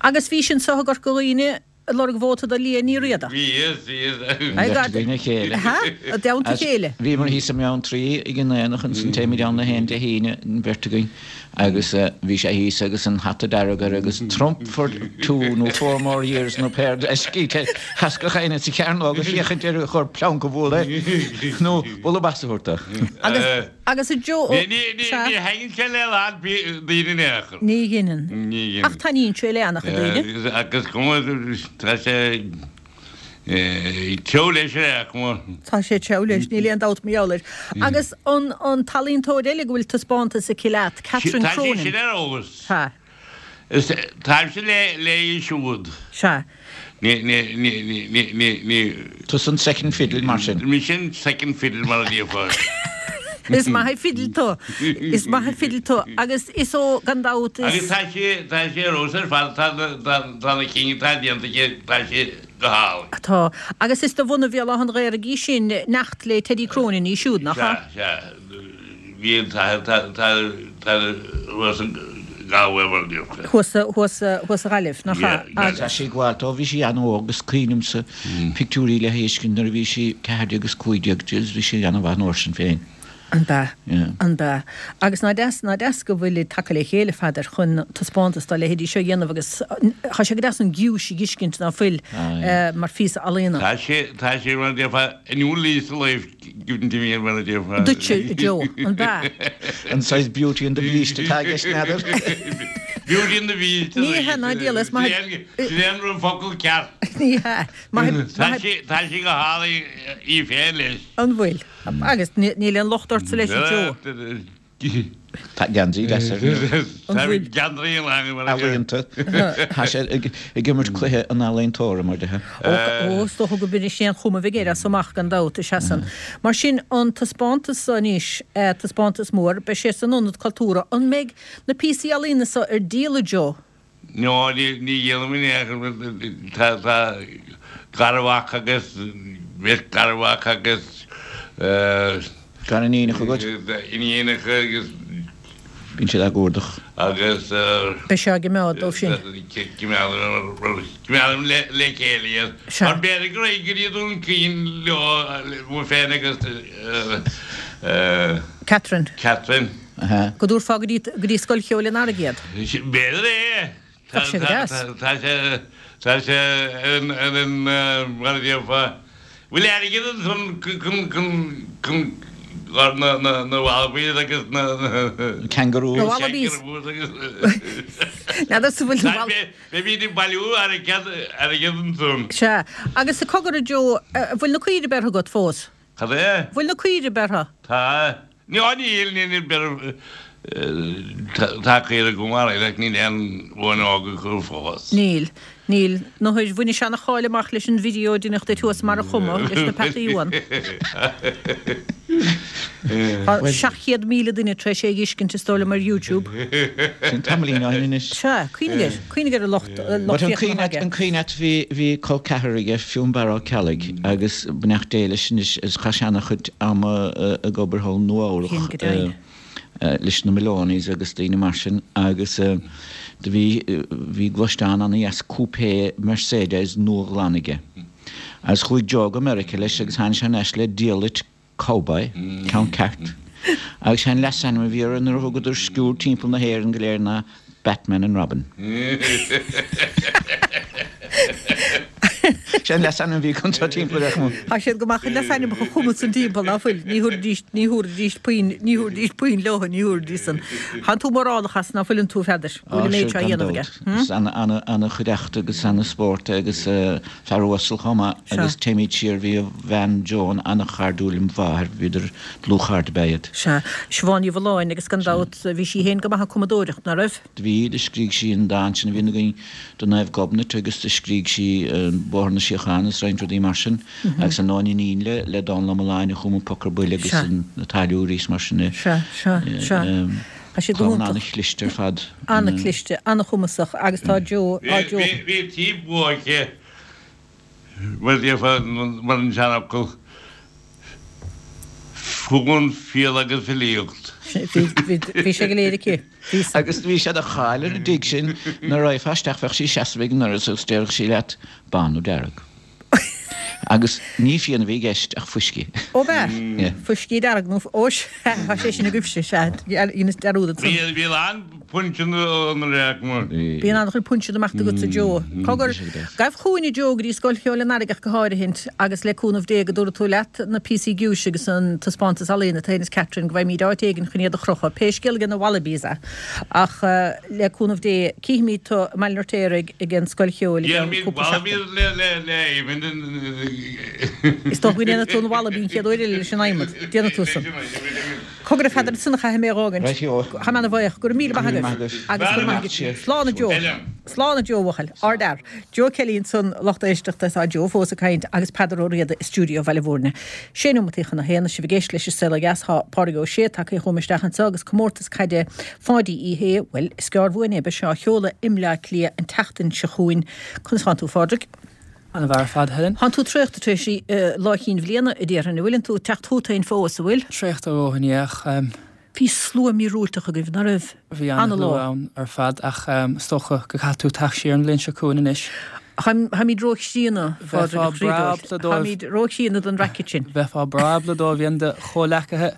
Agus bhí sin anseo i gCorca Dhuibhne ag lorg vóta do Liadh Ní Riada. Bhí is, bhí is. Ai, Beirt gad. againn a chéile. Ha? I dteannta As- chéile. Bhíomar thíos i mBeanntraí ag an aonach ansan téimid ann na haon Dé hAoine an bheirt againn agus eh, bhí sé thíos agus an hata dearg air agus Trump for two nó four more years nó péir scíte thascach éine sa chearnóg agus féachaint ar chur pleanc a bhualadh nó bualadh bos a thabhairt dó. Agus agus a Joe Ní ní ní Sea. ní thaitníonn sé le lán daoine in aon chor. Ní dheineann. Ní dheineann. Ach taitníonn sé le an-chuid daoine. Agus cuma tá sé teo leis ar chuma. Tá sé teo leis, níl aon dabht mar gheall air. Agus an an t-ealaíontóir eile go bhfuil taispeántas aici leat, Catherine Tá sé Cronin. sin ar eolas. Ha. Is táimse le le siúd. Sea. Ní ní ní ní ní ní ní Tusa an second fiddle mar sin. Mi sin second fiddle mar a déarfá. Is maith an fidil tú. Is maith an fidil tú. Agus is ó gan dabht Agus is tá sé tá sé ar fheabhas ar fad tá tá tá na cinn tá déanta aici tá sé go hálainn. Tá. Agus is de bhunadh Bhéal Átha an Ghaorthaidh í sin neacht le Teddy Cronin í siúd, nach ea? Sea, sea. Bhí an tá tá tá tá thuas an Galway mar a déarfá. Thuas thuas thuas sa Ghaillimh, nach ea? Yeah, Tá sí ag gabháil dó, bhí sí an-óg agus cuimhnímse pictiúirí léi fheiscint nuair a bhí sí ceathair déag agus cúig déag, bhí sí an-mhaith an uair sin féin. An b'ea? Yeah. An b'ea? Agus ná deas ná deas go bhfuil tagtha le chéile fadar chun taispeántas dá leithéidí seo a dhéanamh agus tá sé go deas an giúis a fheiscint ná fuil Ah, yeah. mar phíosa ealaíne. Tá sé tá sé mar a déarfá a new lease of life given to me mar a déarfá. Duitse, Joe, an b'ea? An saghas Beauty and the Beast atá i gceist n'fheadar. Beauty and the Beast. Ní hea ná díol, is maith- Sin é an focal ceart. Ní hea. Maith- Tá maith- sé tá sé go hálainn í féin leis. An bhfuil. Agus níl aon locht ortsa leis, a Joe. Tá geansaí deas air. Tá bhfuil? geansaí an lá mar a déarfá. Ealaíonta. Tá sé ag ag imirt cluiche an ealaíontóra mar déarfá. Ó, is dócha go b'in é an chuma a bheidh air as amach gan dabht is ea san. Mar sin an taispeántas seo anois, eh, taispeántas mór, beidh sé san Ionad Cultúrtha. An mbeidh na píosaí ealaíne seo ar díol, a Joe? No, ní ní dhéanfaidh mé aon tá tá garmhac agus beirt garmhac agus eh, Gariníonacha agat? Iníonacha agus Bíonn siad á gcuardach. Agus Beidh sé á gcoimeád dóibh sin. Coimeádaim le le chéile iad. Sea. Mar b'fhéidir go raibh go dtí Dún Chaoin leo mo féin agus Catherine. Catherine. Aha. Go dtabharfá go dtí go dtí Scoil Cheoil an Earraigh iad. B'fhéidir é. Tá sé go deas. Tá sé tá sé ar an ar an mar a déarfá Bhfuil airgead ansan chun chun chun na na na wallabies agus na Kangaroos. Na wallabies. Kangaroos agus N'fheadar sa bhfuil na wall- Beimid ag bailiú airgead airgead ansan. Sea. Agus a cogar a Joe, eh, bhfuil na caoirigh beirthe agat fós? Cad é? Bhfuil na caoirigh beirthe? Tá. Ní á níl níl beir tá caoirigh agam mar ach níl aon bhain óg acu fós. Níl. Níl. Nó théis bhain sé an-cháil amach leis an video a deineadh duit thuas mar a chuma leis na peataí uan. Tá seacht chéad míle duine tar éis é a fheiscint is dóigh liom ar YouTube. Sin tamaillín ó shin anois. Sea, cuimhnigh air, cuimhnigh ar an lucht, lucht But an féachana cuimhne aige. an cuimhne agat bhí bhí col ceathar aige Fionnbarra Ó Ceallaigh agus beannacht Dé leis anois is chaith sé an-chuid ama ag obair thall i Nua Cén go Eabhrac deimhin. leis na Maloneys agus daoine mar sin agus do bhí bhí gluaisteán ana-dheas coupé Mercedes nua-ghlan aige. Agus chuaigh Joe go Meiriceá leis agus tháinig sé anois le diallait cowboy, ceann ceart. Agus an leasainm a bhí air nuair a thugadar sciúrd timpeall na hÉireann go léir ná Batman and Robin. Sé an leasainm a bhí chun timpeall ar chum. Tá siad go maith chun leasainmneacha a chumadh san timpeall ná fuil, ní thabharfaidís ní thabharfaidís puinn ní thabharfaidís puinn leo ní thabharfaidís san. Tá tú mórálach as ná fuileann tú Pheadair, go bhfuil an méid seo á dhéanamh aige. Is ana-chuideachta agus ana-spórt agus fear uasal chomh maith agus téimid siar bhí a bhean Joan ana-chairdiúil lem mháthair, bhíodar dlúthchairde ab ea iad. Sea, Siobhán Ní Mhulláin agus gan dabht bhí sí féin go maith ag cumadóireacht, ná raibh? Do bhí, do scrígh sí an dán sin a bhíonn againn do Naomh Gobnait agus do scrígh sí Bóthar na Síochána is roinnt rudaí mar sin agus an Nóinín le le Dónal Ó Mealláin a chum an Poc ar Buile agus Sea. na Táilliúirí is mar sin. Sea, sea, sea. Tá siad go Clann hiontach. an-chliste ar fad. An-chliste, an-chumasach agus tá Joe, á Joe. Bhí tí buaice mar mar an seanfhocal fún fial agus filíocht. Bhí sé go léir aici. Bhí sa. Agus bhí sé de cháil ar an dtigh sin nuair a raghfá isteach bheadh sí seasamh ag an ndoras agus déarfadh sí leat bán nó dearg. Agus ní fíon a bhí i gceist ach fuiscí. Ó b'ea? Yeah. Fuiscí dearg nó ó sea, tá sé sin agaibhse, sea, dheineas dearúd ansan. Bhí bhí an punch an réac mar. Bíonn an-chuid punch amach agatsa Joe. Cogar, gabh chugainn a Joe go dtí Scoil Cheoil an Earraigh ach go háirithint agus le cúnamh Dé go dtabharfaidh tú leat na píosaí giúise agus an taispeántas ealaíne atá is Catherine go bhfaighimid áit éigin chun iad a chrochadh. Pé scéal ag na Wallabies é. Ach le cúnamh Dé cífimid tú i mBaile an Fheirtéaraigh ag an Scoil Cheoil i gceann Dhéanfaimid cúpla seachtain. Wallabies le le le Éamon. Is dócha go ndéanfaidh tú an Wallaby an chéad uair eile leis an adhmad. Déanfaidh tú san. Cogar a Pheadair ansan a chaithfidh mé a dh'fhágaint. Right you. Tá mé ana-bhuíoch. Go raibh míle maith Go raibh míle agaibh. maith agaibh. Agus go raibh maith agaibh. Slán a Joe. Slán a Joe bhuachaill. Ardfhear. Joe Kelly ansan lucht éisteachta tá Joe fós ag caint agus Peadar Ó Riada i stiúideo Bhaile Bhúirne. Sé nóimeataí chun a haon sibh ag éisteacht leis an Saol Ó Dheas tá Pádraig Ó Sé tagtha chugam isteach anseo agus comórtas caide Pháidí Uí Shé, bhuel, is gearr uainn é beidh sé á sheoladh i mBleá Cliath an tseachtain seo chugainn. Conas tánn tú, Phádraig? An-mhaith ar fad, Helen. Tánn tú traochta tar éis Lá Chinn Bhliana, a déarfainn, an bhfuileann tú ag teacht chugat féin fós, an bhfuil? Traochta a dhóthain, yeah, ach Bhí slua míorúilteach agaibh, ná raibh? Bhí an-shlua ann ar fad, ach is dócha go gcaithfidh tú teacht siar an bhliain seo chugainn anois. Táimid róchríonna, Phádraig, a Bheifeá chroí breá dóibh. ábalta dóibh. Táimid róchríonna don racket sin. Bheifeá breá ábalta dóibh aon de chomhleacaithe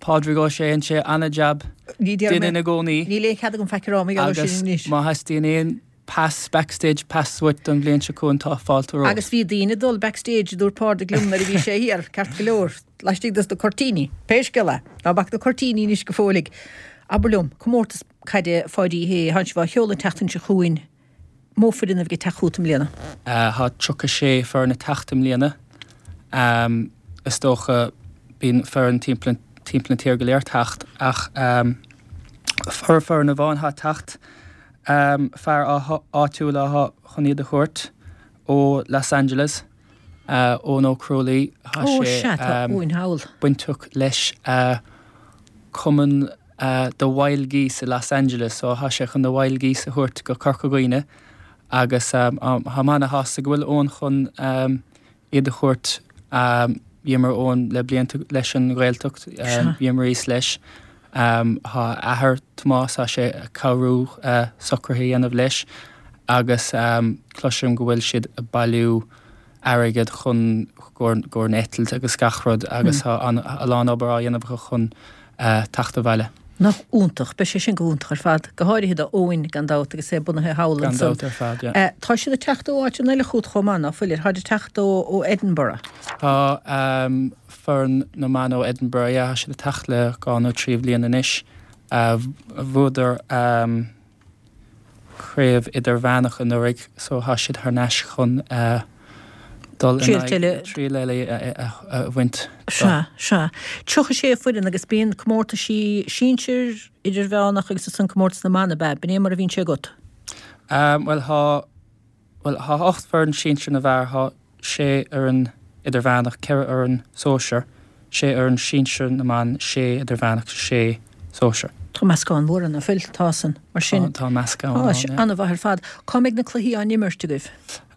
Pádraig Ó Sé an sé an-jab Ní déarfaidh duine mé- ina gcónaí. Níl aon chead agam faic a rá, mar gheall air Agus sin anois. má theastaíonn aon pass backstage pass uait don bhliain seo chugainn tá fáilte romhat. Agus bhí daoine dul backstage dúirt Pádraig liom nuair a bhí sé thiar, ceart go leor, laistigh dos na cuirtíní. Pé scéal é, ná bac na cuirtíní anois go fóilligh. Abair liom, comórtas caide Pháidí Uí Shé, tánn sibh á sheoladh an tseachtain seo chugainn, mó foireann a bheidh ag teacht chugat i mbliana? Tá tríocha sé foireann ag teacht i mbliana. Is dócha bíonn foireann timpeall timpeall na tíre go léir ag teacht ach foireann amháin atá ag teacht. Fear áitiúil atá chun iad a thabhairt ó Los Angeles, Eoin Ó Crualaoi. Tá sé bainteach leis cumann The Wild Geese i Los Angeles, so tá sé chun na Wild Geese a thabhairt go Corca Dhuibhne agus tá mé ana-shásta go bhfuil Eoin chun iad a thabhairt. Bhíomar Eoin le blianta leis an Ghaeltacht, bhíomar thíos leis. Tá a athair Tomás, tá sé ag cabhrú socruithe a dhéanamh leis agus cloisim go bhfuil siad ag bailiú airgead chun gcomhair an eitilt agus gach rud agus tá a lán obair á dhéanamh acu chun teacht abhaile. Nach iontach, beidh sé sin go hiontach ar fad, go háirithe do Eoin gan dabht agus é bunaithe thall Gan ansan. dabht ar fad, yeah. Tá siad ag teacht ó áiteanna eile chugat chomh maith, ná fuilir? Táid ag teacht ó ó Edinburgh. Tá foireann na mban ó Edinburgh, yeah, tá siad ag teacht le dhá nó trí bhliain anois. Bhuadar craobh idirmheánach anuraidh so tá siad thar n-ais chun dul in aghaidh triail eile a bhaint. Sea, sea. Tríocha sé foireann agus bíonn comórtaisí sinsir, idirmheánach agus ansan comórtas na mban ab ea? B'in é mar a bhíonn sé agat? Bhuel thá, bhuel thá ocht foireann sinsir na bhfear, thá sé fhoireann idirmheánach, ceithre fhoireann sóisir, sé fhoireann sinsir na mban, sé idirmheánach, sé sóisir. Tá meascán mór ann, ná fuil? Tá san. Mar sin. Tá meascán ann, yeah. An-mhaith ar fad. Cá mbeidh na cluichí á n-imirt agaibh?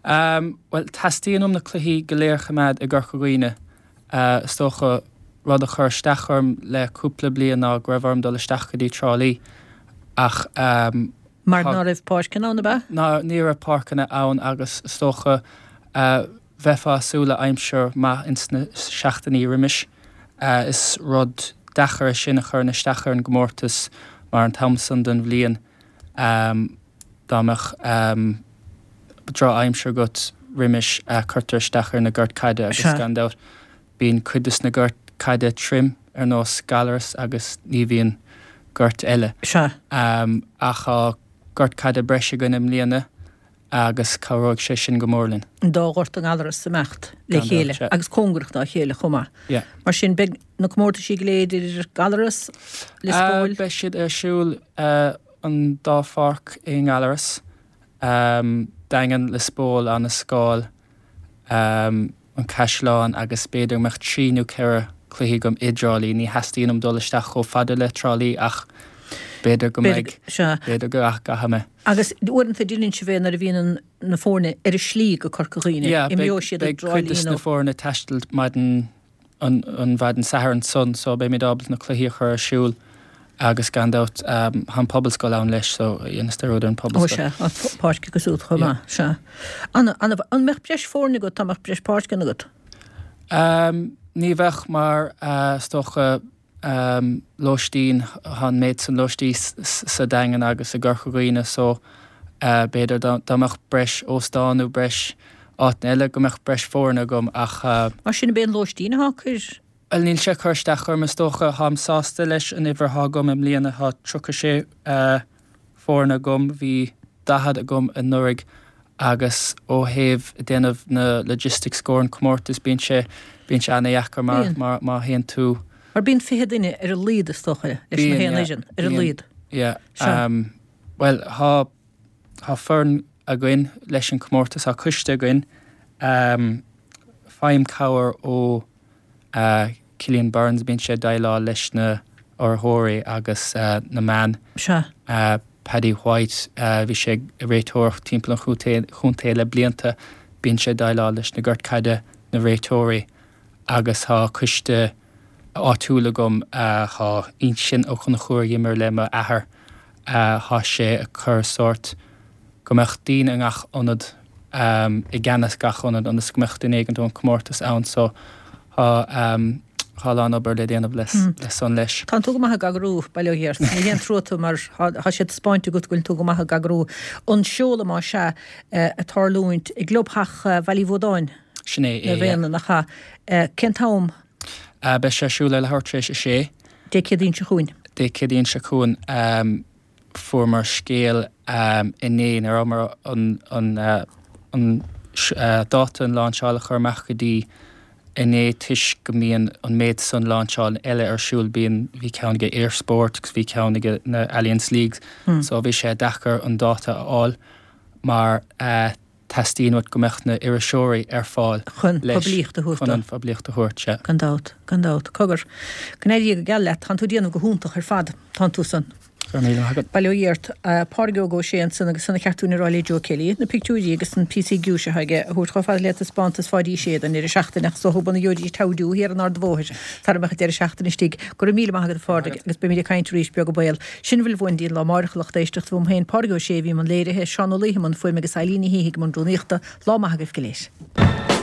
Bhuel, teastaíonn uaim na cluichí go léir a choimeád i gCorca Dhuibhne. Is dócha, rud a chuir isteach orm le cúpla bliain ná go raibh orm dul isteach go dtí Trá Lí ach. Mar ná raibh páirceanna ann, ab ea? Ná, ní raibh páirceanna ann agus is dócha, bheifeá ag súil le aimsir maith ins na seachtainí roimis. Is rud deacair é sin a chuireann isteach ar an gcomórtas mar an t-am san den bhliain dá mbeadh droch-aimsir agat roimis cuirtear isteach ar na goirt caide agus gan dabht bíonn cuid des na goirt caide tirim ar nós Gallaras agus ní bhíonn goirt eile. Ach tá gort caide breise againn i mbliana agus cabhróidh sé sin go mór linn. An dá ghort i nGallaras ag imeacht le chéile agus cóngarach dá chéile chomh maith. Mar sin beidh na comórtaisí go léir idir Gallaras, Lios Póil. Beidh siad ar siúl an dá pháirc i nGallaras, Daingean, Lios Póil, Abhainn an Scáil. an Caisleán agus b'fhéidir go mbeadh trí nó ceithre cluichí agam i dTrá Lí. Ní theastaíonn uaim dul isteach chomh fada le Trá Lí ach b'fhéidir go mbeidh, b'fhéidir go gcaithfidh mé. Agus uaireanta déanann sibh é nuair a bhíonn na foirne ar a slí go Corca Dhuibhne, imreoidh siad i dTrá Lí nó. Beidh cuid de na foirne ag taisteal maidin an mhaidin Sathairn san so beimid ábalta na cluichí a chur ar siúl agus gan dabht tá an Pobalscoil ann leis so dhéanfas dearúd ar an Pobalscoil. Ó sea, tá páirc acu siúd chomh maith, sea. An, an, an mbeadh breis foirne agat dá mbeadh breis páirceanna agat? Ní bheadh mar is dócha lóistín, tá an méid san lóistí sa Daingean agus i gCorca Dhuibhne so b'fhéidir dá mbeadh breis óstán nó breis áiteanna eile go mbeadh breis foirne agam ach. Mar sin ab é an lóistín atá ag cur. Bhuel níl sé ag cur isteach orm is dócha, táim sásta leis an uimhir atá agam i mbliana, tá tríocha sé foirne agam, bhí daichead agam anuraidh agus ó thaobh déanamh na logistics i gcomhair an comórtas bíonn sé, bíonn sé ana-dheacair mar mar má théann tú. Mar bíonn fiche duine ar a laghad is dócha leis na haon fhoireann, ar a laghad. Yeah, bhuel tá, tá foireann againn leis an comórtas, tá coiste againn, faighim cabhair ó Cillian Burns, bíonn sé ag déileáil leis na urraitheoirí agus na meáin. Sea. Paddy White, bhí sé ag réiteoireacht timpeall an chontae le blianta, bíonn sé ag déileáil leis na goirt caide, na réiteoirí agus tá coiste áitiúil agam, tá Uinseann Ó Conchúir a d'imir le m'athair, tá sé ag cur sórt go mbeadh daoine i ngach ionad, i gceannas gach ionad ionas go mbeadh duine éigint ón comórtas ann so tá tá a lán obair le déanamh le san leis. Tánn tú go maith ag eagrú, bail ó Dhia ort. Ní haon trua tú mar tá sé taispeáinte agat go bhfuil tú go maith ag eagrú. An seoladh más ea ag tarlúint i gclubtheach Bhaile Uí Bhuadáin. Sin é é, yeah. Nach ea? Cén t-am? Beidh sé ar siúl ar leathuair tar éis a sé. Dé Céadaoin seo chugainn. Dé Céadaoin seo chugainn. Fuaireamar scéal inné, ní rabhamar an an dáta an láinseáil a chur amach go dtí inné toisc go mbíonn an méid san láinseáil eile ar siúl, bíonn, bhí ceann ag Eir Sport agus bhí ceann ag na Allianz Leagues so bhí sé deacair an dáta a fháil mar teastaíonn uait go mbeadh na iriseoirí ar fáil Chun leis, poiblíocht a thabhairt chun dó. an phoiblíocht a thabhairt, sea. Gan dabht, gan dabht. Cogar, go n-éirí go geal leat, tánn tú ag déanamh go hiontach ar fad, tánn tú san. Go raibh míle maith agat. Bail ó Dhia ort. Pádraig Óg Ó Sé ansan agus san a cheart dúinn a rá le Joe Kelly, na pictiúirí agus an píosaí giúise atá aige a thabhairt chomh fada le taispeántas Pháidí Uí Shé don deireadh seachtaine ach is dócha go gheobhaidís togha thiar an Ard Bhóthair sara mbeadh an deireadh seachtaine istigh. Go raibh míle maith agat a Phádraig agus beimid ag caint arís beag an baol. Sin a bhfuil uainn go dtí an lá amárach a lucht éisteachta uaim féin, Pádraig Ó Sé a bhí i mbun léirithe, Seán Ó Laoithe i mbun fuaime agus Eileen Ní hÍthigh i mbun rúnaíochta. Lá maith agaibh go léir.